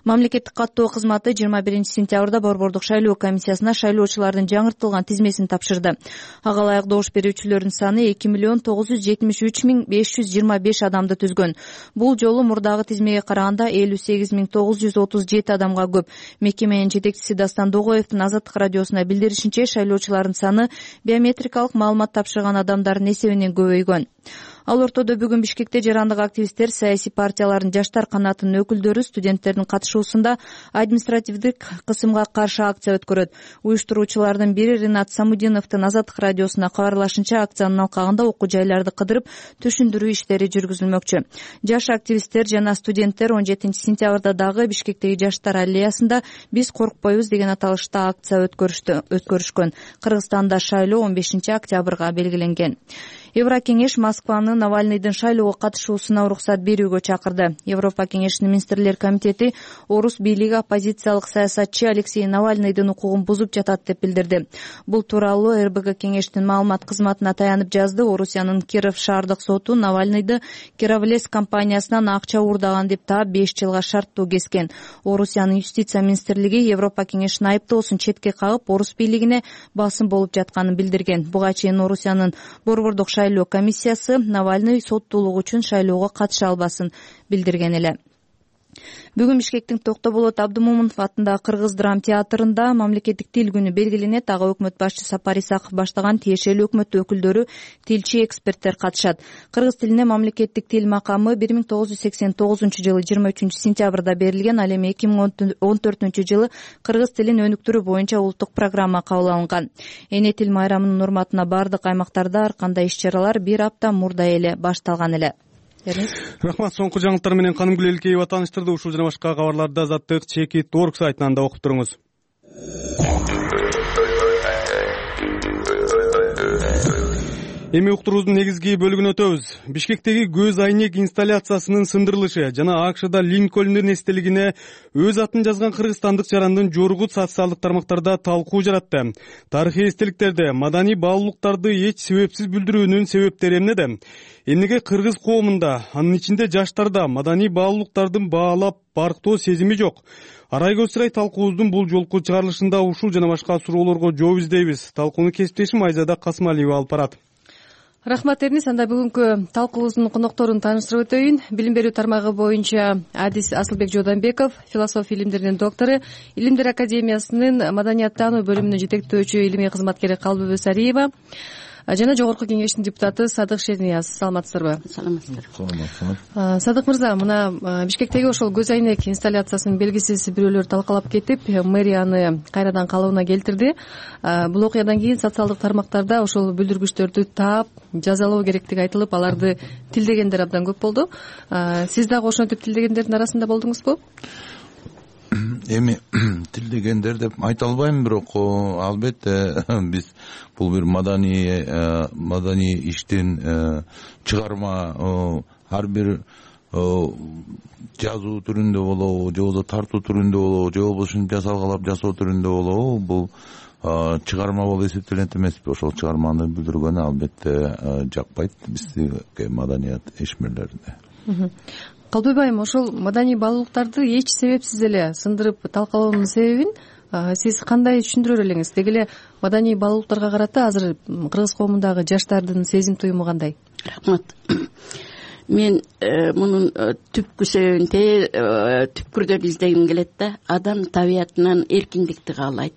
Мамлекеттик каттоо кызматы жыйырма биринчи сентябрда Борбордук шайлоо комиссиясына шайлоочулардын жаңыртылган тизмесин тапшырды. Ага ылайык добуш берүүчүлөрдүн саны эки миллион тогуз жүз жетимиш үч миң беш жүз жыйырма беш адамды түзгөн. Бул жолу мурдагы тизмеге караганда элүү сегиз миң тогуз жүз отуз жети адамга көп. Мекеменин жетекчиси Дастан Догоевдун Азаттык радиосуна билдиришинче, шайлоочулардын саны биометрикалык маалымат тапшырган адамдардын эсебинен көбөйгөн. Ал ортодо бүгүн Бишкекте жарандык активисттер, саясий партиялардын жаштар канатынын өкүлдөрү студенттердин катышуусунда административдик кысымга каршы акция өткөрөт. Уюштуруучулардын бири Ринат Самудиновдун Азаттык радиосуна кабарлашынча, акциянын алкагында окуу жайларды кыдырып түшүндүрүү иштери жүргүзүлмөкчү. Жаш активисттер жана студенттер он жетинчи сентябрда дагы Бишкектеги жаштар аллеясында «Биз коркпойбуз» деген аталышта акция өткөрүшкөн. Кыргызстанда шайлоо он бешинчи октябрга белгиленген. Еврокеңеш Москваны Навальныйдын шайлоого катышуусуна уруксат берүүгө чакырды. Европа кеңешинин министрлер комитети орус бийлиги оппозициялык саясатчы Алексей Навальныйдын укугун бузуп жатат деп билдирди. Бул тууралуу эр бэ гэ кеңештин маалымат кызматына таянып жазды. Орусиянын Киров шаардык соту Навальныйды Кировлес компаниясынан акча уурдаган деп таап беш жылга шарттуу кескен. Орусиянын юстиция министрлиги Европа кеңешинин айыптоосун четке кагып, орус бийлигине басым болуп жатканын билдирген. Буга чейин Орусиянын Борбордук шайлоо комиссиясы Навальный соттуулук үчүн шайлоого катыша албасын билдирген эле. Бүгүн Бишкектин Токтоболот Абдымомунов атындагы Кыргыз драм театрында мамлекеттик тил күнү белгиленет. Ага өкмөт башчысы Сапар Исаков баштаган тиешелүү өкмөт өкүлдөрү, тилчи, эксперттер катышат. Кыргыз тилине мамлекеттик тил макамы бир миң тогуз жүз сексен тогузунчу жылы жыйырма үчүнчү сентябрда берилген. Ал эми эки миң он төртүнчү жылы кыргыз тилин өнүктүрүү боюнча улуттук программа кабыл алынган. Эне тил майрамынын урматына бардык аймактарда ар кандай иш-чаралар бир апта мурда эле башталган эле. Рахмат. Соңку жаңылыктар менен Канымгүл Элкеева тааныштырды. Ушул жана башка кабарларды Азаттык чекит точка орг сайтынан да окуп туруңуз. Эми уктуруубуздун негизги бөлүгүнө өтөбүз. Бишкектеги көз айнек инсталляциясынын сындырылышы жана АКШда Линкольндун эстелигине өз атын жазган кыргызстандык жарандын жогорку социалдык тармактарда талкуу жаратты. Тарыхый эстеликтерде маданий баалуулуктарды эч себепсиз бүлдүрүүнүн себептери эмнеде? Эмнеге кыргыз коомунда, анын ичинде жаштарда маданий баалуулуктардын баалап барктоо сезими жок? Арай Көчүрай талкуубуздун бул жолку чыгарылышында ушул жана башка суроолорго жооп издейбиз. Талкууну кесиптешим Айзада Касымалиева алып барат. Рахмат Эрнис. Анда бүгүнкү талкуубуздун конокторун тааныштырып өтөйүн. Билим берүү тармагы боюнча адис Асылбек Жууданбеков, философия илимдеринин доктору, Илимдер академиясынын маданияттануу бөлүмүнүн жетектөөчү илимий кызматкери Калбыбү Сариева, жана жогорку кеңештин депутаты Садык Шернияз. Саламатсыздарбы? Саламатсыздар. Садык мырза, мына Бишкектеги ошол көз айнек инсталляциясын белгисиз бирөөлөр талкалап кетип, мэрия аны кайрадан калыбына келтирди. Бул окуядан кийин социалдык тармактарда ошол бүлдүргүчтөрдү таап жазалоо керектиги айтылып, аларды тилдегендер абдан көп болду. Сиз дагы ошентип тилдегендердин арасында болдуңузбу? Эми тилдегендер деп айта албайм, бирок албетте биз бул бир маданий маданий иштин чыгарма, ар бир жазуу түрүндө болобу, же болбосо тартуу түрүндө болобу, же болбосо жасалгалап жасоо түрүндө болобу, бул чыгарма болуп эсептелет эмеспи? Ошол чыгарманы билдиргөнү албетте жакпайт бизге, маданият ишмерлерине. Калдыбек айым, ошол маданий баалуулуктарды эч себепсиз эле сындырып талкалоонун себебин сиз кандай түшүндүрөр элеңиз? Деги эле маданий баалуулуктарга карата азыр кыргыз коомундагы жаштардын сезим туюму кандай? Рахмат. Мен мунун түпкү себебин түпкүрдө издегим келет да. Адам табиятынан эркиндикти каалайт.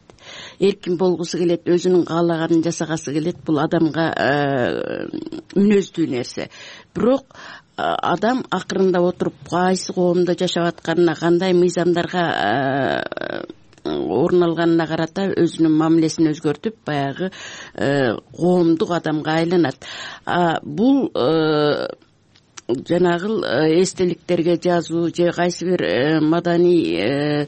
Эркин болгусу келет, өзүнүн каалаганын жасагысы келет. Бул адамга мүнөздүү нерсе. Бирок адам акырында отуруп кайсы коомдо жашап атканына, кандай мыйзамдарга орун алганына карата өзүнүн мамилесин өзгөртүп, баягы коомдук адамга айланат. Бул жанагы эстеликтерге жазуу же кайсы бир маданий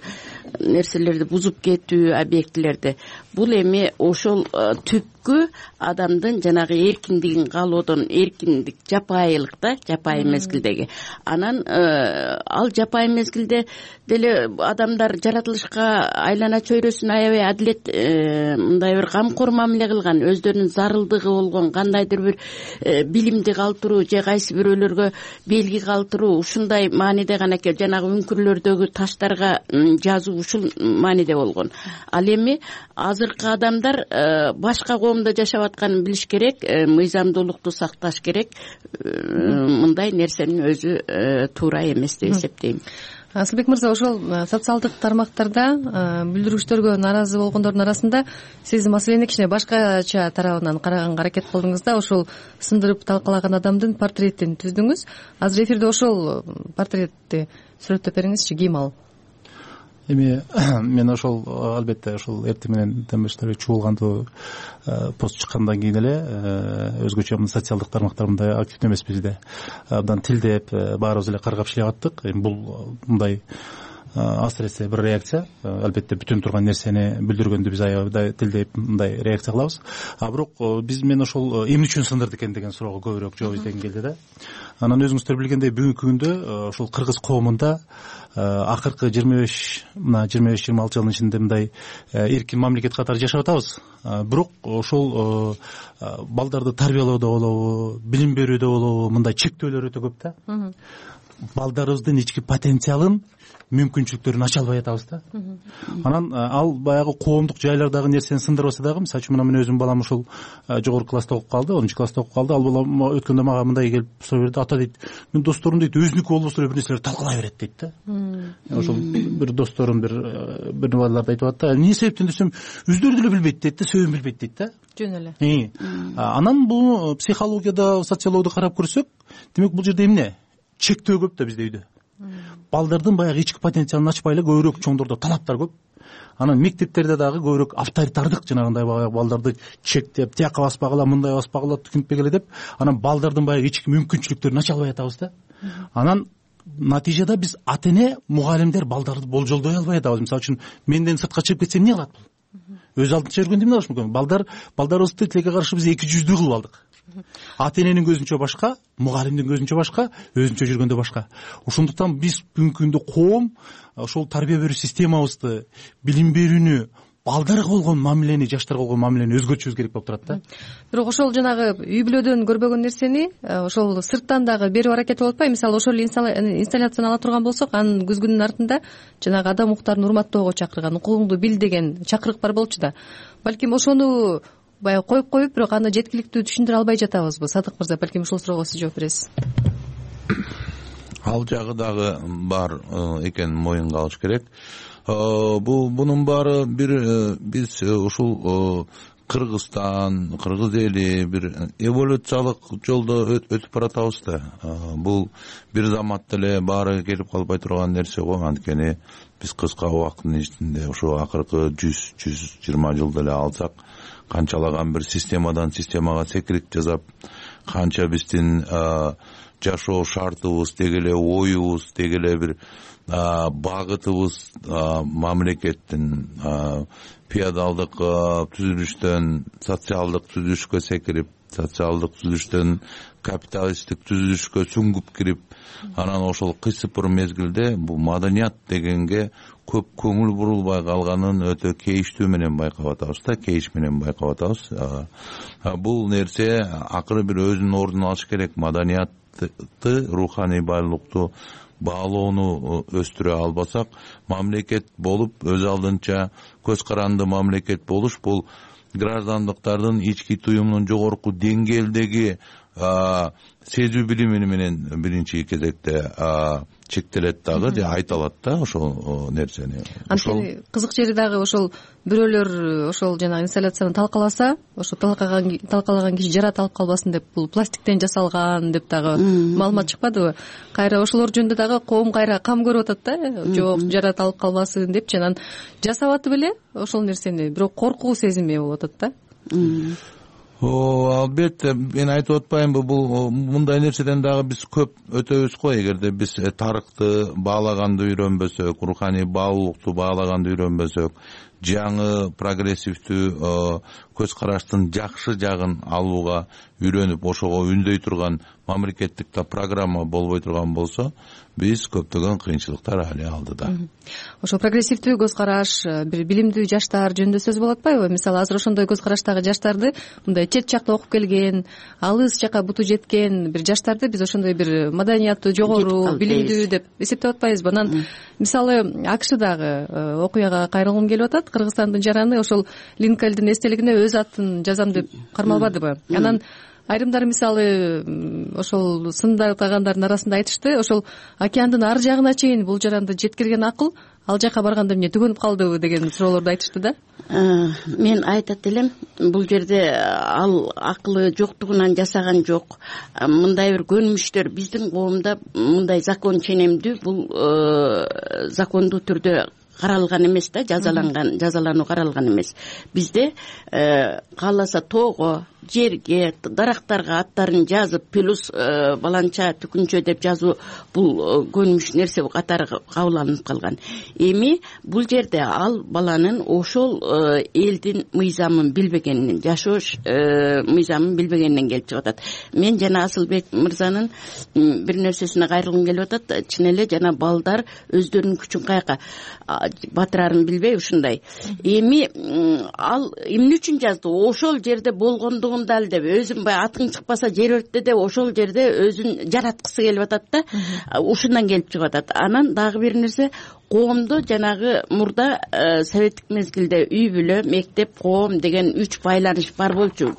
нерселерди бузуп кетүү, объектилерди, бул эми ошол түпкү адамдын жанагы эркиндигин каалоодон, эркиндик, жапайылык да, жапайы мезгилдеги. Анан ал жапайы мезгилде деле адамдар жаратылышка айлана чөйрөсүн аябай адилет, мындай бир камкор мамиле кылган, өздөрүнүн зарылдыгы болгон кандайдыр бир билимди калтыруу же кайсы бирөөлөргө белги калтыруу, ушундай мааниде гана экен. Жанагы үңкүрлөрдөгү таштарга жазуу ушул мааниде болгон. Ал эми азыркы адамдар башка коомдо жашап атканын билиш керек, мыйзамдуулукту сакташ керек. Мындай нерсенин өзү туура эмес деп эсептейм. Асылбек мырза, ошол социалдык тармактарда бүлдүргүчтөргө нааразы болгондордун арасында сиз маселени кичине башкача тарабынан караганга аракет кылдыңыз да, ошол сындырып талкалаган адамдын портретин түздүңүз. Азыр эфирде ошол портретти сүрөттөп бериңизчи, ким ал? Эми мен ошол албетте ошол эртең менен демештер чуулгандуу пост чыккандан кийин эле өзгөчө мына социалдык тармактар мындай активдүү эмес бизде. Абдан тилдеп баарыбыз эле каргап иштеп аттык. Эми бул мындай асыресе бир реакция. Албетте бүтүн турган нерсени билдиргөндө биз аябай тилдеп мындай реакция кылабыз. А бирок биз мен ошол эмне үчүн сындырды экен деген суроого көбүрөөк жооп издегим келди да. Анан өзүңүздөр билгендей бүгүнкү күндө ошол кыргыз коомунда акыркы жыйырма беш мына жыйырма беш жыйырма алты жылдын ичинде мындай эркин мамлекет катары жашап атабыз. Бирок ошол балдарды тарбиялоодо болобу, билим берүүдө болобу, мындай чектөөлөр өтө көп да. Балдарыбыздын ички потенциалын, мүмкүнчүлүктөрүн ача албай атабыз да. Анан ал баягы коомдук жайлардагы нерсени сындырбаса дагы, мисалы үчүн мына мен өзүм балам ушул жогорку класста окуп калды, онунчу класста окуп калды. Ал балам өткөндө мага мындай келип суроо берди: ата дейт, мен досторум дейт өзүнүкү болбосо эле бир нерселерди талкалай берет дейт да. Ошол бир досторум бир бир балаларды айтып атты. Эмне себептен десем, өздөрү деле билбейт дейт да, себебин билбейт дейт да. Жөн эле. Анан бул психологияда, социологияда карап көрсөк, демек бул жерде эмне? Чектөө көп да бизде үйдө. Балдардын баягы ички потенциалын ачпай эле көбүрөөк чоңдордо талаптар көп. Анан мектептерде дагы көбүрөөк авторитардык жанагындай балдарды чектеп, тияка баспагыла, мындай баспагыла, түкүнтпегиле деп, анан балдардын баягы ички мүмкүнчүлүктөрүн ача албай атабыз да. Анан натыйжада биз ата эне, мугалимдер балдарды болжолдой албай атабыз. Мисалы үчүн менден сыртка чыгып кетсем эмне кылат бул? Өз алдынча жүргөндө эмне кылыш мүмкүн? Балдар балдарыбызды тилекке каршы биз эки жүздүү кылып алдык. Ата эненин көзүнчө башка, мугалимдин көзүнчө башка, өзүнчө жүргөндө башка. Ошондуктан биз бүгүнкү күндө коом ошол тарбия берүү системабызды, билим берүүнү, балдарга болгон мамилени, жаштарга болгон мамилени өзгөртүшүбүз керек болуп турат да. Бирок ошол жанагы үй бүлөдөн көрбөгөн нерсени ошол сырттан дагы берип аракет болуп атпайбы? Мисалы ошол инсталляцияны ала турган болсок, анын күзгүнүн артында жанагы адам укуктарын урматтоого чакырган, укугуңду бил деген чакырык бар болчу да. Балким ошону баягы коюп коюп, бирок аны жеткиликтүү түшүндүрө албай жатабызбы? Садык мырза, балким ушул суроого сиз жооп бересиз. Ал жагы дагы бар экенин моюнга алыш керек. Бул бунун баары бир биз ушул Кыргызстан, кыргыз эли бир эволюциялык жолдо өтүп баратабыз да. Бул бир заматта эле баары келип калбай турган нерсе го. Анткени биз кыска убакыттын ичинде ошо акыркы жүз жүз жыйырма жылды эле алсак, канчалаган бир системадан системага секирип жасап, канча биздин жашоо шартыбыз, деги эле оюбуз, деги эле бир багытыбыз мамлекеттин феодалдык түзүлүштөн социалдык түзүлүшкө секирип, социалдык түзүлүштөн капиталисттик түзүлүшкө сүңгүп кирип, анан ошол кыйсыпыр мезгилде бул маданият дегенге көп көңүл бурулбай калганын өтө кейиштүү менен байкап атабыз да, кейиш менен байкап атабыз. Бул нерсе акыры бир өзүнүн ордун алыш керек. Маданиятты, руханий байлыкту баалоону өстүрө албасак, мамлекет болуп, өз алдынча көз каранды мамлекет болуш бул граждандыктардын ички туюмунун жогорку деңгээлдеги сезүү билими менен биринчи кезекте чектелет дагы, же айталат да ошол нерсени. Анткени кызык жери дагы ошол бирөөлөр ошол жанагы инсталляцияны талкаласа, ошо талкалаган талкалаган киши жарат алып калбасын деп, бул пластиктен жасалган деп дагы маалымат чыкпадыбы? Кайра ошолор жөнүндө дагы коом кайра кам көрүп атат да, жок жарат алып калбасын депчи. Анан жасап атып эле ошол нерсени, бирок коркуу сезими болуп атат да. Албетте, мен айтып атпаймынбы, бул мындай нерседен дагы биз көп өтөбүз го. Эгерде биз тарыхты баалаганды үйрөнбөсөк, руханий баалуулукту баалаганды үйрөнбөсөк, жаңы прогрессивдүү көз караштын жакшы жагын алууга үйрөнүп, ошого үндөй турган мамлекеттик программа болбой турган болсо, биз көптөгөн кыйынчылыктар али алдыда. Ошо прогрессивдүү көз караш, бир билимдүү жаштар жөнүндө сөз болуп атпайбы? Мисалы, азыр ошондой көз караштагы жаштарды, мындай чет жакта окуп келген, алыс жака буту жеткен бир жаштарды биз ошондой бир маданияты жогору, билимдүү деп эсептеп атпайбызбы? Анан мисалы АКШдагы окуяга кайрылгым келип атат. Кыргызстандын жараны ошол Линкольндин эстелигине өз атын жазам деп кармалбадыбы? Анан айрымдары мисалы ошол сындагандардын арасында айтышты, ошол океандын ар жагына чейин бул жаранды жеткирген акыл ал жака барганда эмне түгөнүп калдыбы деген суроолорду айтышты да. Мен айтат элем, бул жерде ал акылы жоктугунан жасаган жок. Мындай бир көнүмүштөр биздин коомдо мындай закон ченемдүү, бул закондуу түрдө каралган эмес да, жазаланган, жазалануу каралган эмес. Бизде кааласа тоого, жерге, дарактарга аттарын жазып, плюс баланча түкүнчө деп жазуу бул көнүмүш нерсе катары кабыл алынып калган. Эми бул жерде ал баланын ошол элдин мыйзамын билбегенинен, жашоо мыйзамын билбегенинен келип чыгып атат. Мен жана Асылбек мырзанын бир нерсесине кайрылгым келип атат. Чын эле жана балдар өздөрүнүн күчүн каяка батырарын билбей ушундай. Эми ал эмне үчүн жазды? Ошол жерде болгондугу дал деп, өзүн баягы атың чыкпаса жер өрттө деп ошол жерде өзүн жараткысы келип атат да. Ушундан келип чыгып атат. Анан дагы бир нерсе, коомдо жанагы мурда советтик мезгилде үй бүлө, мектеп, коом деген үч байланыш бар болчу.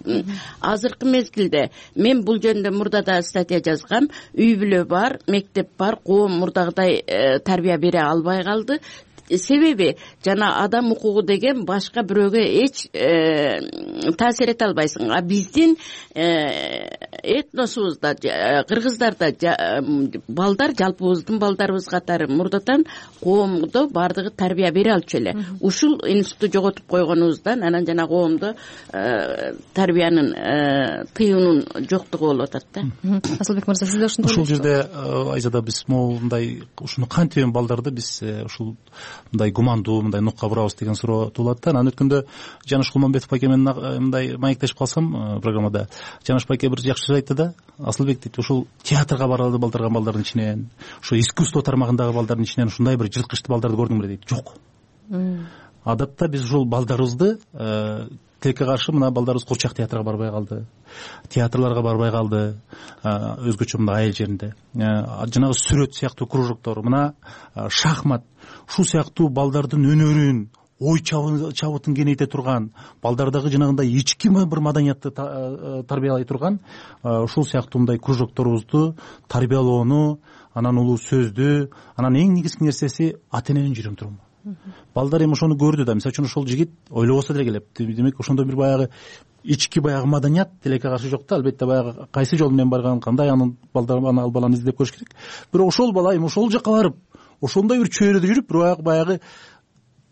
Азыркы мезгилде мен бул жөнүндө мурда да статья жазгам. Үй бүлө бар, мектеп бар, коом мурдагыдай тарбия бере албай калды. Себеби жана адам укугу деген башка бирөөгө эч таасир эте албайсың. А биздин этносубузда, кыргыздарда балдар, жалпыбыздын балдарыбыз катары мурдадан коомдо бардыгы тарбия бере алчу эле. Ушул институтту жоготуп койгонубуздан анан жана коомдо тарбиянын тыюунун жоктугу болуп атат да. Асылбек мырза, сиз да ушундай? Ушул жерде Айзада биз моундай ушуну кантип балдарды биз ушул мындай гумандуу, мындай нукка бурабыз деген суроо туулат да. Анан өткөндө Жаныш Кулманбетов байке менен мындай маектешип калсам программада, Жаныш байке бир жакшы сөз айтты да. Асылбек дейт, ушул театрга баралы балдарган балдардын ичинен, ошо искусство тармагындагы балдардын ичинен ушундай бир жылкычты балдарды көрдүң беле дейт. Жок. Адатта биз ушул балдарыбызды тилекке каршы мына балдарыбыз Курчак театрга барбай калды, театрларга барбай калды, өзгөчө мына айыл жеринде. Жанагы сүрөт сыяктуу кружоктор, мына шахмат, ушул сыяктуу балдардын өнөрүн, ой чабытын кеңейте турган, балдардагы жанагындай ички бир маданиятты тарбиялай турган ушул сыяктуу мындай кружокторубузду тарбиялоону, анан улуу сөздү, анан эң негизги нерсеси ата эненин жүрөгүн турган. балдар эми ошону көрдү да, мисалы үчүн ошол жигит ойлобосо деле келет. Демек ошондо бир баягы ички баягы маданият тилекке каршы жок да. Албетте баягы кайсы жол менен барган, кандай анын балдар аны ал баланы издеп көрүш керек. Бирок ошол бала эми ошол жака барып, ошондой бир чөйрөдө жүрүп, бир баягы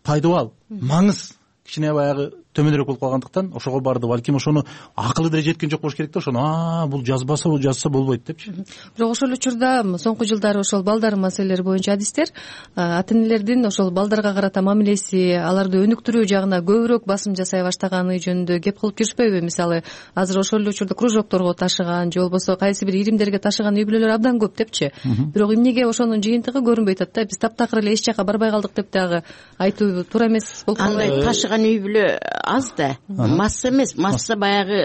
пайдабал, маңыз кичине баягы төмөнүрөөк болуп калгандыктан ошого барды. Балким ошону акылы деле жеткен жок болуш керек да, ошону а бул жазбаса, бул жазса болбойт депчи. Бирок ошол учурда соңку жылдары ошол балдар маселелери боюнча адистер ата энелердин ошол балдарга карата мамилеси, аларды өнүктүрүү жагына көбүрөөк басым жасай баштаганы жөнүндө кеп кылып жүрүшпөйбү? Мисалы, азыр ошол эле учурда кружокторго ташыган же болбосо кайсы бир иримдерге ташыган үй бүлөлөр абдан көп депчи. Бирок эмнеге ошонун жыйынтыгы көрүнбөй атат да? Биз таптакыр эле эч жака барбай калдык деп дагы айтуу туура эмес болуп калбайбы? Андай ташыган үй бүлө аз да, масса эмес. Масса баягы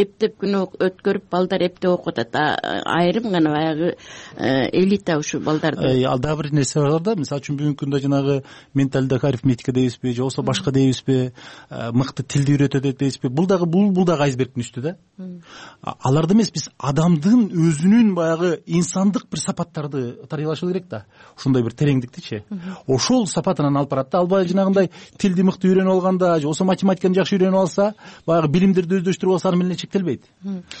эптеп күнү өткөрүп балдар эптеп окуп атат. Айрым гана баягы элита ушу балдарды. Ал дагы бир нерсе бар да, мисалы үчүн бүгүнкү күндө жанагы менталдык арифметика дейбизби, же болбосо башка дейбизби, мыкты тилди үйрөтөт дейбизби, бул дагы бул бул дагы айсбергдин үстү да. Аларды эмес, биз адамдын өзүнүн баягы инсандык бир сапаттарды тарыйлашыбыз керек да. Ушундай бир тереңдиктичи. Ошол сапатынан алып барат да. Албай жанагындай тилди мыкты үйрөнүп алганда, же болбосо математиканы жакшы үйрөнүп алса, баягы билимдерди өздөштүрүп алса, аны менен чектелбейт.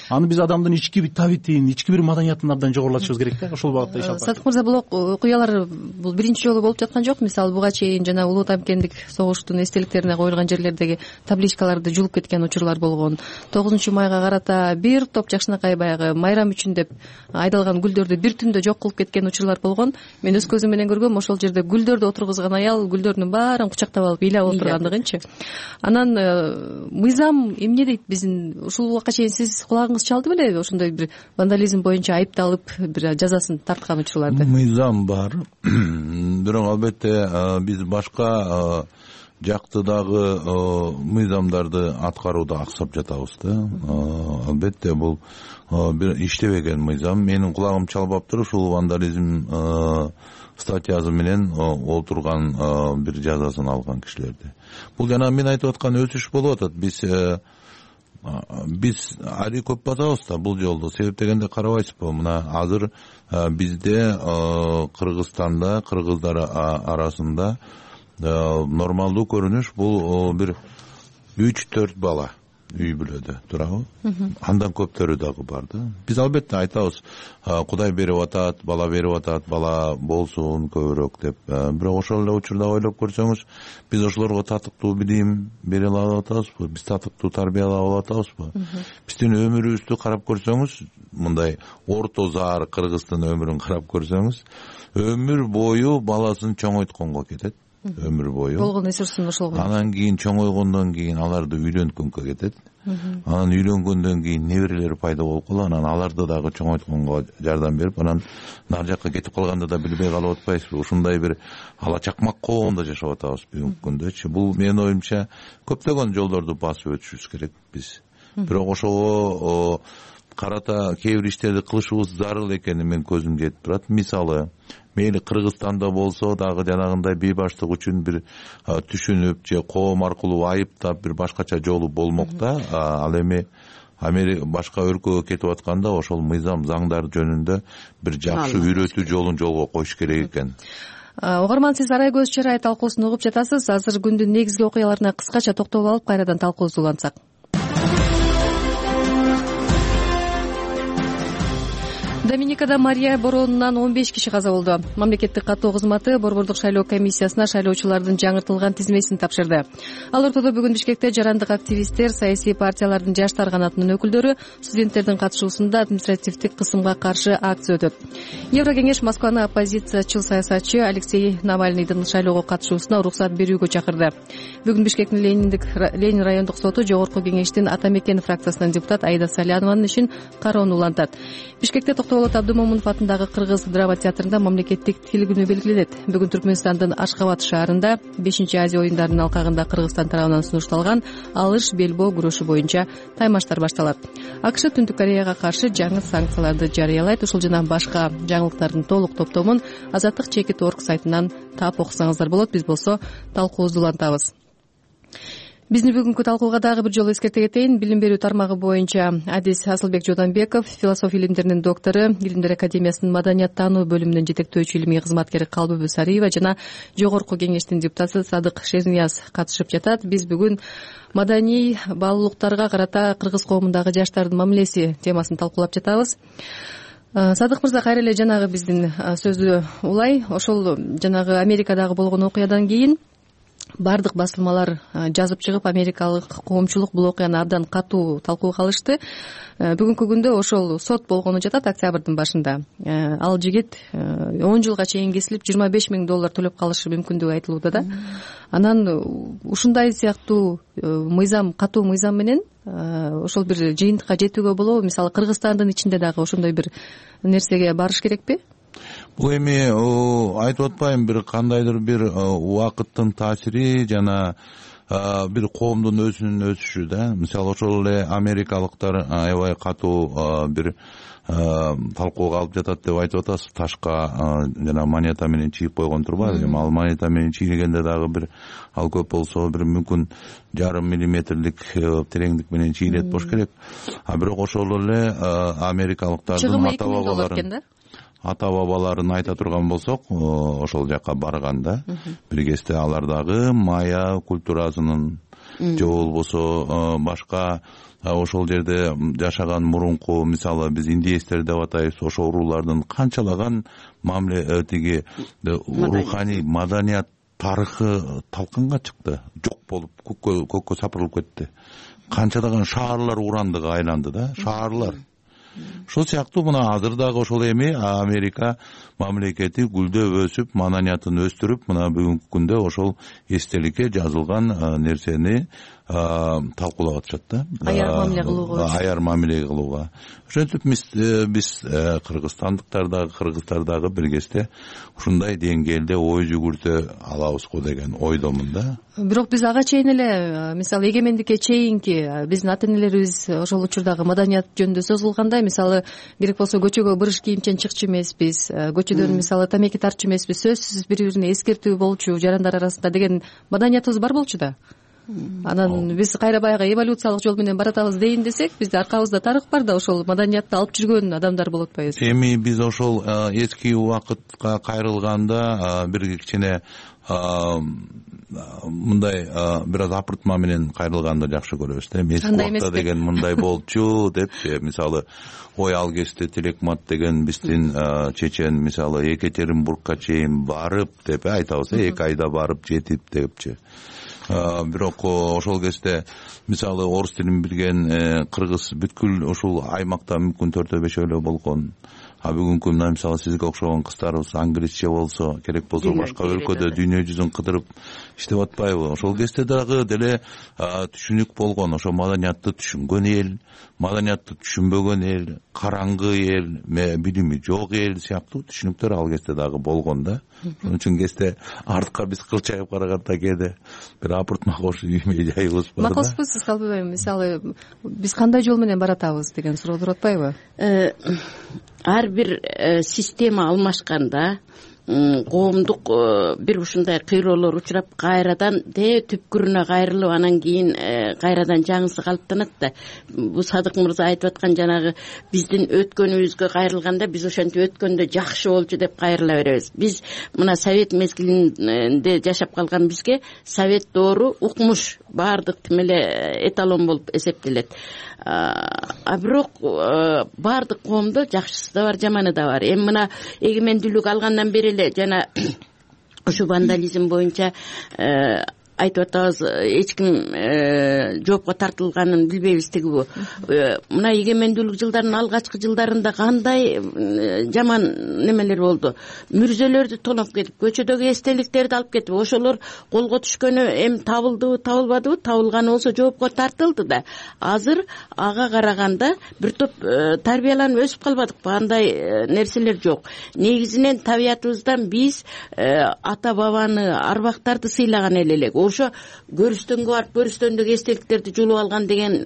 Аны биз адамдын ички бир табитин, ички бир маданиятын абдан жогорулатышыбыз керек да. Ошол багытта иш алып барат. Садык мырза, бул окуялар бул биринчи жолу болуп жаткан жок. Мисалы, буга чейин жана Улуу Тамкендик согуштун эстеликтерине коюлган жерлердеги табличкаларды жулуп кеткен учурлар болгон. тогузунчу майга карата бир топ жакшынакай баягы майрам үчүн деп айдалган гүлдөрдү бир түндө жок кылып кеткен учурлар болгон. Мен өз көзүм менен көргөм, ошол жерде гүлдөрдү отургузган аял гүлдөрдүн баарын кучактап алып ыйлап отургандыгынчы. Анан мыйзам эмне дейт биздин? Ушул убакка чейин сиз кулагыңыз чалды белеби ошондой бир вандализм боюнча айыпталып бир жазасын тарткан учурларды? Мыйзам бар. Бирок албетте биз башка жактыдагы мыйзамдарды аткарууда аксап жатабыз да. Албетте бул бир иштебеген мыйзам. Менин кулагым чалбаптыр ушул вандализм статьясы менен олтурган бир жазасын алган кишилерди. Бул жана мен айтып аткан өсүш болуп атат. Биз биз ари көп басабыз да бул жолду. Себеп дегенде карабайсызбы, мына азыр бизде Кыргызстанда, кыргыздар арасында нормалдуу көрүнүш бул бир үч төрт бала үй бүлөдө турабы? Андан көптөрү дагы бар да. Биз албетте айтабыз, Кудай берип атат, бала берип атат, бала болсун көбүрөөк деп. Бирок ошол эле учурда ойлоп көрсөңүз, биз ошолорго татыктуу билим бере алып атабызбы? Биз татыктуу тарбиялап алып атабызбы? Биздин өмүрүбүздү карап көрсөңүз, мындай орто заар Кыргыздын өмүрүн карап көрсөңүз, өмүр бою баласын чоңойтконго кетет. Өмүр бою болгон ресурсун ошол. Анан кийин чоңойгондон кийин аларды үйлөнткөнгө кетет. Анан үйлөнгөндөн кийин неберелер пайда болуп калат. Анан аларды дагы чоңойтконго жардам берип, анан нары жакка кетип калганда да билбей калып атпайсызбы? Ушундай бир ала чакмак коомдо жашап атабыз бүгүнкү күндөчү. Бул менин оюмча көптөгөн жолдорду басып өтүшүбүз керек биз. Бирок ошого карата кээ бир иштерди кылышыбыз зарыл экени менин көзүм жетип турат. Мисалы, мейли Кыргызстанда болсо дагы жанагындай бейбаштык үчүн бир түшүнүп же коом аркылуу айыптап бир башкача жолу болмок да. Ал эми Америка башка өлкөгө кетип атканда ошол мыйзам, заңдар жөнүндө бир жакшы үйрөтүү жолун жолго коюш керек экен. Угарман, сиз Арай көз чырай талкуусун угуп жатасыз. Азыр күндүн негизги окуяларына кыскача токтолуп алып, кайрадан талкуубузду улантсак. Доминикада Мария боронунан он беш киши каза болду. Мамлекеттик каттоо кызматы Борбордук шайлоо комиссиясына шайлоочулардын жаңыртылган тизмесин тапшырды. Ал ортодо бүгүн Бишкекте жарандык активисттер, саясий партиялардын жаштар канатынын өкүлдөрү, студенттердин катышуусунда административдик кысымга каршы акция өтөт. Еврокеңеш Москваны оппозициячыл саясатчы Алексей Навальныйдын шайлоого катышуусуна уруксат берүүгө чакырды. Бүгүн Бишкектин Лениндик Ленин райондук соту Жогорку кеңештин Ата Мекен фракциясынын депутат Аида Салянованын ишин кароону улантат. Бишкекте Токтоолот Абдымомунов атындагы Кыргыз драма театрында мамлекеттик тил күнү белгиленет. Бүгүн Түркмөнстандын Ашкабад шаарында бешинчи Азия оюндарынын алкагында Кыргызстан тарабынан сунушталган алыш белбоо күрөшү боюнча таймаштар башталат. АКШ Түндүк Кореяга каршы жаңы санкцияларды жарыялайт. Ушул жана башка жаңылыктардын толук топтомун Азаттык чекит орг сайтынан таап окусаңыздар болот. Биз болсо талкуубузду улантабыз. биздин бүгүнкү талкууга дагы бир жолу эскерте кетейин. Билим берүү тармагы боюнча адис Асылбек Жууданбеков, философия илимдеринин доктору, Илимдер академиясынын маданият таануу бөлүмүнүн жетектөөчү илимий кызматкери Калбүбү Сариева жана жогорку кеңештин депутаты Садык Шернияз катышып жатат. Биз бүгүн маданий баалуулуктарга карата кыргыз коомундагы жаштардын мамилеси темасын талкуулап жатабыз. Садык мырза, кайра эле жанагы биздин сөздү улай, ошол жанагы Америкадагы болгон окуядан кийин бардык басылмалар жазып чыгып, америкалык коомчулук бул окуяны абдан катуу талкууга алышты. Бүгүнкү күндө ошол сот болгону жатат октябрдын башында. Ал жигит он жылга чейин кесилип жыйырма беш миң доллар төлөп калышы мүмкүндүгү айтылууда да. Анан ушундай сыяктуу мыйзам, катуу мыйзам менен ошол бир жыйынтыкка жетүүгө болобу? Мисалы Кыргызстандын ичинде дагы ошондой бир нерсеге барыш керекпи? Бул эми айтып атпайм, бир кандайдыр бир убакыттын таасири жана бир коомдун өзүнүн өсүшү да. Мисалы ошол эле америкалыктар аябай катуу бир талкууга алып жатат деп айтып атасыз. Ташка жана монета менен чийип койгон турбайбы? Эми ал монета менен чийилгенде дагы бир ал көп болсо бир мүмкүн жарым миллиметрлик тереңдик менен чийилет болуш керек. А бирок ошол эле америкалыктардын ата бабаларын ата бабаларын айта турган болсок, ошол жака барганда бир кезде алар дагы майя культурасынын же болбосо башка ошол жерде жашаган мурунку, мисалы биз индеецтер деп атайбыз, ошол уруулардын канчалаган мамиле тиги руханий маданият тарыхы талканга чыкты, жок болуп көккө көккө сапырылып кетти. Канчалаган шаарлар урандыга айланды да, шаарлар. Ошол сыяктуу мына азыр дагы ошол эми Америка мамлекети гүлдөп өсүп, маданиятын өстүрүп, мына бүгүнкү күндө ошол эстеликке жазылган нерсени талкуулап атышат да. Аяр мамиле кылууга. Аяр мамиле кылууга. Ошентип биз кыргызстандыктар дагы, кыргыздар дагы бир кезде ушундай деңгээлде ой жүгүртө алабызго деген ойдомун да. Бирок биз ага чейин эле, мисалы эгемендикке чейинки биздин ата энелерибиз ошол учурдагы маданият жөнүндө сөз кылганда, мисалы керек болсо көчөгө бырыш кийимчен чыкчу эмеспиз, көчөдөн мисалы тамеки тартчу эмеспиз, сөзсүз бири-бирине эскертүү болчу жарандар арасында деген маданиятыбыз бар болчу да. Анан биз кайра баягы эволюциялык жол менен баратабыз дейин десек, бизде аркабызда тарых бар да, ошол маданиятты алып жүргөн адамдар болуп атпайбыз. Эми биз ошол эски убакытка кайрылганда бир кичине мындай бир аз апыртма менен кайрылганды жакшы көрөбүз да. Эски убакта деген мындай болчу депчи, мисалы ой ал кезде Телекмат деген биздин чечен, мисалы Екатеринбургка чейин барып деп айтабыз, эки айда барып жетип депчи. Бирок ошол кезде мисалы орус тилин билген кыргыз бүткүл ушул аймакта мүмкүн төртөө бешөө эле болгон. А бүгүнкү мына мисалы сизге окшогон кыздарыбыз англисче болсо, керек болсо башка өлкөдө дүйнө жүзүн кыдырып иштеп атпайбы? Ошол кезде дагы деле түшүнүк болгон, ошо маданиятты түшүнгөн эл, маданиятты түшүнбөгөн эл, караңгы эл, билими жок эл сыяктуу түшүнүктөр ал кезде дагы болгон да. Ошон үчүн кезде артка биз кылчайып караганда кээде бир апыртма кошуп үймөй жайыбыз бар да. Макулсузбу сиз Калбыбай, мисалы биз кандай жол менен баратабыз деген суроо туруп атпайбы? Ар бир система алмашканда коомдук бир ушундай кыйроолор учурап кайрадан де түпкүрүнө кайрылып, анан кийин кайрадан жаңысы калыптанат да. Бул Садык мырза айтып аткан жанагы биздин өткөнүбүзгө кайрылганда биз ошентип өткөндө жакшы болчу деп кайрыла беребиз. Биз мына совет мезгилинде жашап калган бизге совет доору укмуш, баардык тим эле эталон болуп эсептелет. А бирок баардык коомдо жакшысы да бар, жаманы да бар. Эми мына эгемендүүлүк алгандан бери эле жана ушу вандализм боюнча айтып атабыз, эч ким жоопко тартылганын билбейбиз тигибу. Мына эгемендүүлүк жылдарынын алгачкы жылдарында кандай жаман немелер болду. Мүрзөлөрдү тоноп кетип, көчөдөгү эстеликтерди алып кетип, ошолор колго түшкөнү эми табылдыбы, табылбадыбы, табылганы болсо жоопко тартылды да. Азыр ага караганда бир топ тарбияланып өсүп калбадыкпы, андай нерселер жок. Негизинен табиятыбыздан биз ата бабаны, арбактарды сыйлаган эл элек. ошо көрүстөнгө барып көрүстөндөгү эстеликтерди жулуп алган деген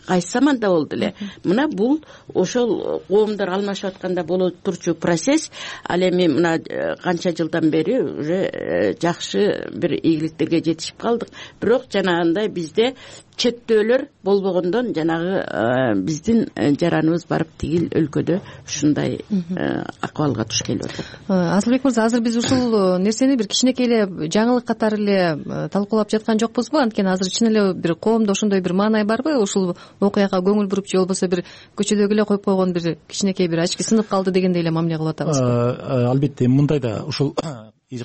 кайсы заманда болду эле. Мына бул ошол коомдор алмашып атканда боло турчу процесс. Ал эми мына канча жылдан бери уже жакшы бир ийгиликтерге жетишип калдык. Бирок жанагындай бизде чектөөлөр болбогондон жанагы биздин жараныбыз барып тигил өлкөдө ушундай акыбалга туш келип атат. Асылбек мырза, азыр биз ушул нерсени бир кичинекей эле жаңылык катары эле талкуулап жаткан жокпузбу? Анткени азыр чын эле бир коомдо ошондой бир маанай барбы? Ушул окуяга көңүл буруп же болбосо бир көчөдөгү эле коюп койгон бир кичинекей бир очки сынып калды дегендей эле мамиле кылып атабызбы? Албетте мындай да ушул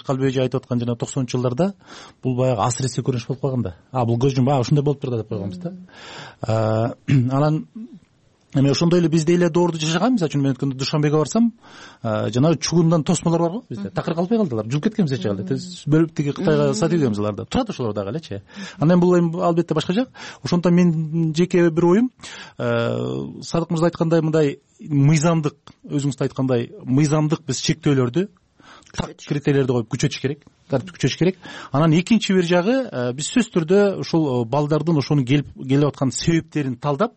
Калбек эже айтып аткан жана токсонунчу жылдарда бул баягы асыресе көрүнүш болуп калган да. А бул көз жум а ушундай болуп турду деп койгонбуз да. Анан эми ошондой эле биз деле доорду жашаган. Мисалы үчүн мен өткөндө Душанбеге барсам, жанагы чугундан тосмолор барго бизде. Такыр калбай калдылар. Жулуп кеткен бизче эле. Бөлүп тиги Кытайга сатып ийгенбиз аларды. Турат ошолор дагы элечи. Андан бул эми албетте башка жак. Ошондуктан мен жеке бир оюм, Садык мырза айткандай мындай мыйзамдык, өзүңүз да айткандай мыйзамдык биз чектөөлөрдү так критерийлерди коюп күчөтүш керек, тартип күчөтүш керек. Анан экинчи бир жагы, биз сөзсүз түрдө ушул балдардын ошону келип келип аткан себептерин талдап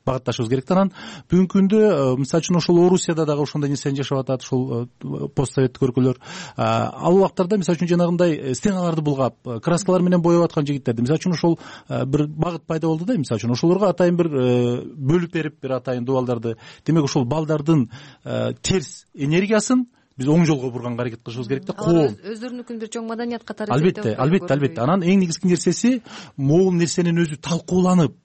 багытташыбыз керек. Анан бүгүнкү күндө мисалы үчүн ошол Орусияда дагы ошондой нерсени жашап атат, ушул постсоветтик өлкөлөр. Ал убактарда мисалы үчүн жанагындай стеналарды булгап, краскалар менен боеп аткан жигиттерди. Мисалы үчүн ошол бир багыт пайда болду да, мисалы үчүн ошолорго атайын бир бөлүп берип, бир атайын дубалдарды, демек ошол балдардын терс энергиясын биз оң жолго бурганга аракет кылышыбыз керек да. Коом өздөрүнүкүн бир чоң маданият катары. Албетте, албетте, албетте. Анан эң негизги нерсеси могул нерсенин өзү талкууланып,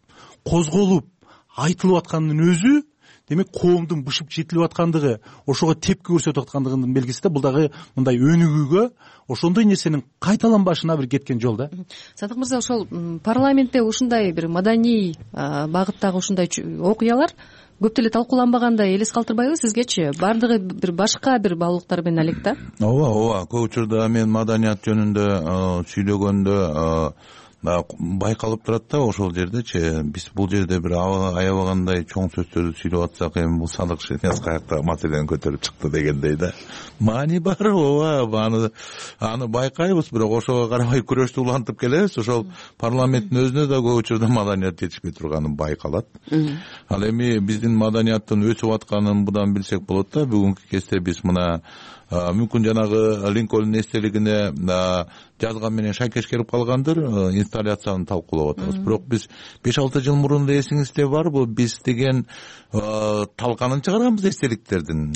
козголуп, айтылып аткандын өзү, демек коомдун бышып жетилип аткандыгы, ошого тепки көрсөтүп аткандыгынын белгиси да. Бул дагы мындай өнүгүүгө, ошондой нерсенин кайталанбашына бир кеткен жол да. Садык мырза, ошол парламентте ушундай бир маданий багыттагы ушундай окуялар көп деле талкууланбагандай элес калтырбайбы сизгечи? Баардыгы бир башка бир баалуулуктар менен алек да. Ооба, ооба. Көп учурда мен маданият жөнүндө сүйлөгөндө байкалып турат да ошол жердечи. Биз бул жерде бир аябагандай чоң сөздөрдү сүйлөп атсак, эми бул Садык Шеняз каякта маселени көтөрүп чыкты дегендей да. Маани бар, ооба, аны аны байкайбыз, бирок ошого карабай күрөштү улантып келебиз. Ошол парламенттин өзүнө да көп учурда маданият жетишпей турганы байкалат. Ал эми биздин маданияттын өсүп атканын будан билсек болот да. Бүгүнкү кезде биз мына мүмкүн жанагы Линкольн эстелигине жазган менен шайкеш келип калгандыр, инсталляцияны талкуулап атабыз. Бирок биз беш алты жыл мурун эле эсиңизде барбы, биз деген талканын чыгарганбыз эстеликтердин.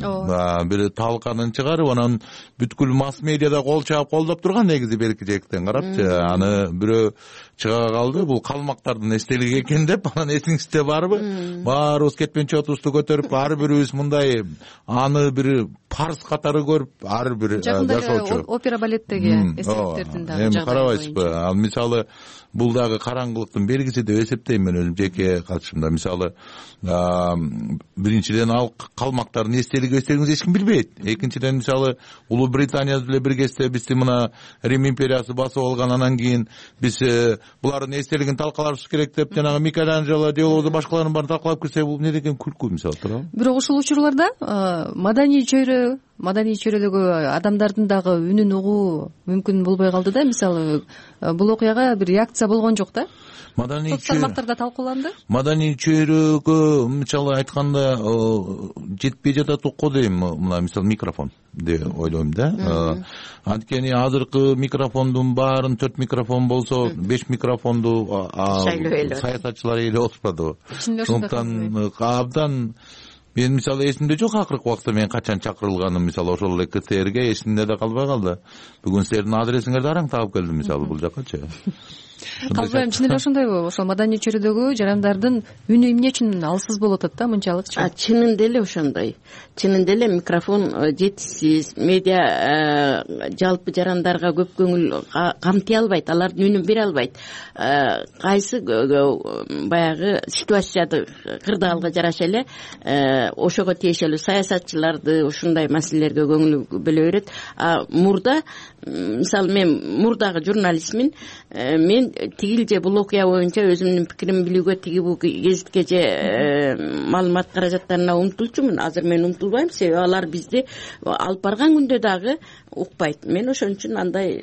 Бир талканын чыгарып, анан бүткүл масс медиада кол чаап колдоп турган негизи белки жээктен карапчы. Аны бирөө чыга калды, бул калмактардын эстелиги экен деп, анан эсиңизде барбы? Баарыбыз кетпенчи отубузду көтөрүп, ар бирибиз мындай аны бир парс катары көрүп, ар бир жашоочу опера балеттеги эстеликтердин дагы эми карабайсызбы? Ал мисалы бул дагы караңгылыктын белгиси деп эсептейм мен өзүм жеке катышымда. Мисалы биринчиден ал калмактардын эстелиги эстелигин эч ким билбейт. Экинчиден мисалы Улуу Британия менен биргесте бизди мына Рим империясы басып алган, анан кийин биз булардын эстелигин талкалашыбыз керек деп жанагы Микеланджело же болбосо башкалардын баарын талкалап кирсе, бул эмне деген күлкү мисалы туурабы? Бирок ушул учурларда маданий чөйрө маданий чөйрөдөгү адамдардын дагы үнүн угуу мүмкүн болбой калды да. Мисалы бул окуяга бир реакция болгон жок да. Маданий чөйрө тармактарда талкууланды. Маданий чөйрөгө мисалы айтканда жетпей жатат го дейм. Мына мисалы микрофон деп ойлойм да. Анткени азыркы микрофондун баарын төрт микрофон болсо, беш микрофонду саясатчылар ээлеп отурбадыбы? Ошондуктан абдан мен мисалы эсимде жок акыркы убакта мен качан чакырылганым, мисалы ошол эле КТРге эсимде да калбай калды. Бүгүн силердин адресиңерди араң таап келдим мисалы бул жаккачы. Калбайм, чын эле ошондойбу? Ошол маданий чөйрөдөгү жарандардын үнү эмне үчүн алсыз болуп атат да мынчалыкчы? Чынында эле ошондой. Чынында эле микрофон жетишсиз, медиа жалпы жарандарга көп көңүл камтый албайт, алардын үнүн бере албайт. Кайсы баягы ситуацияды кырдаалга жараша эле ошого тиешелүү саясатчыларды ушундай маселелерге көңүл бөлө берет. Мурда мисалы мен мурдагы журналистмин, мен тигил же бул окуя боюнча өзүмдүн пикиримди билүүгө, тиги бул гезитке же маалымат каражаттарына умтулчумун. Азыр мен умтулбайм, себеби алар бизди алып барган күндө дагы укпайт. Мен ошон үчүн андай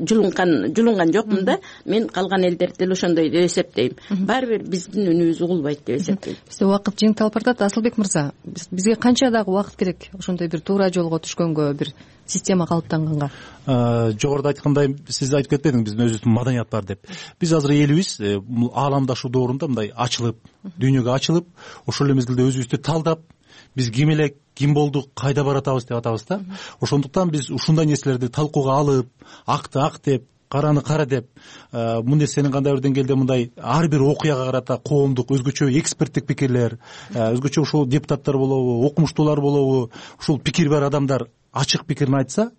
жулунган жулунган жокмун да. Мен калган элдерди деле ошондой деп эсептейм. Баары бир биздин үнүбүз угулбайт деп эсептейм. Бизде убакыт жыйынталып баратат. Асылбек мырза, бизге канча дагы убакыт керек ошондой бир туура жолго түшкөнгө, бир система калыптанганга? Жогоруда айткандай, сиз айтып кетпедиңиз, биздин өзүбүздүн маданият бар деп. Биз азыр элибиз ааламдашуу доорунда мындай ачылып, дүйнөгө ачылып, ошол эле мезгилде өзүбүздү талдап, биз ким элек, ким болдук, кайда баратабыз деп атабыз да. Ошондуктан биз ушундай нерселерди талкууга алып, акты ак деп, караны кара деп, бул нерсенин кандайдыр деңгээлде мындай ар бир окуяга карата коомдук өзгөчө эксперттик пикирлер, өзгөчө ушул депутаттар болобу, окумуштуулар болобу, ушул пикири бар адамдар ачык пикирин айтса,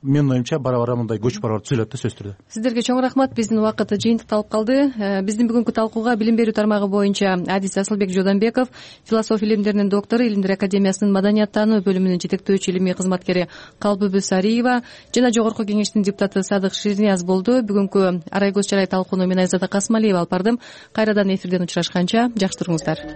менин оюмча бара бара мындай көч барабар түзүлөт да, сөзсүз түрдө. Сиздерге чоң рахмат. Биздин убакыт жыйынтыкталып калды. Биздин бүгүнкү талкууга билим берүү тармагы боюнча адис Асылбек Жодонбеков, философия илимдеринин доктору, Илимдер академиясынын маданият таануу бөлүмүнүн жетектөөчү илимий кызматкери Калбүбү Сариева жана Жогорку кеңештин депутаты Садык Ширнияз болду. Бүгүнкү Арай көз чарай талкууну мен Айзада Касмалиева алып бардым. Кайрадан эфирден учурашканча жакшы туруңуздар.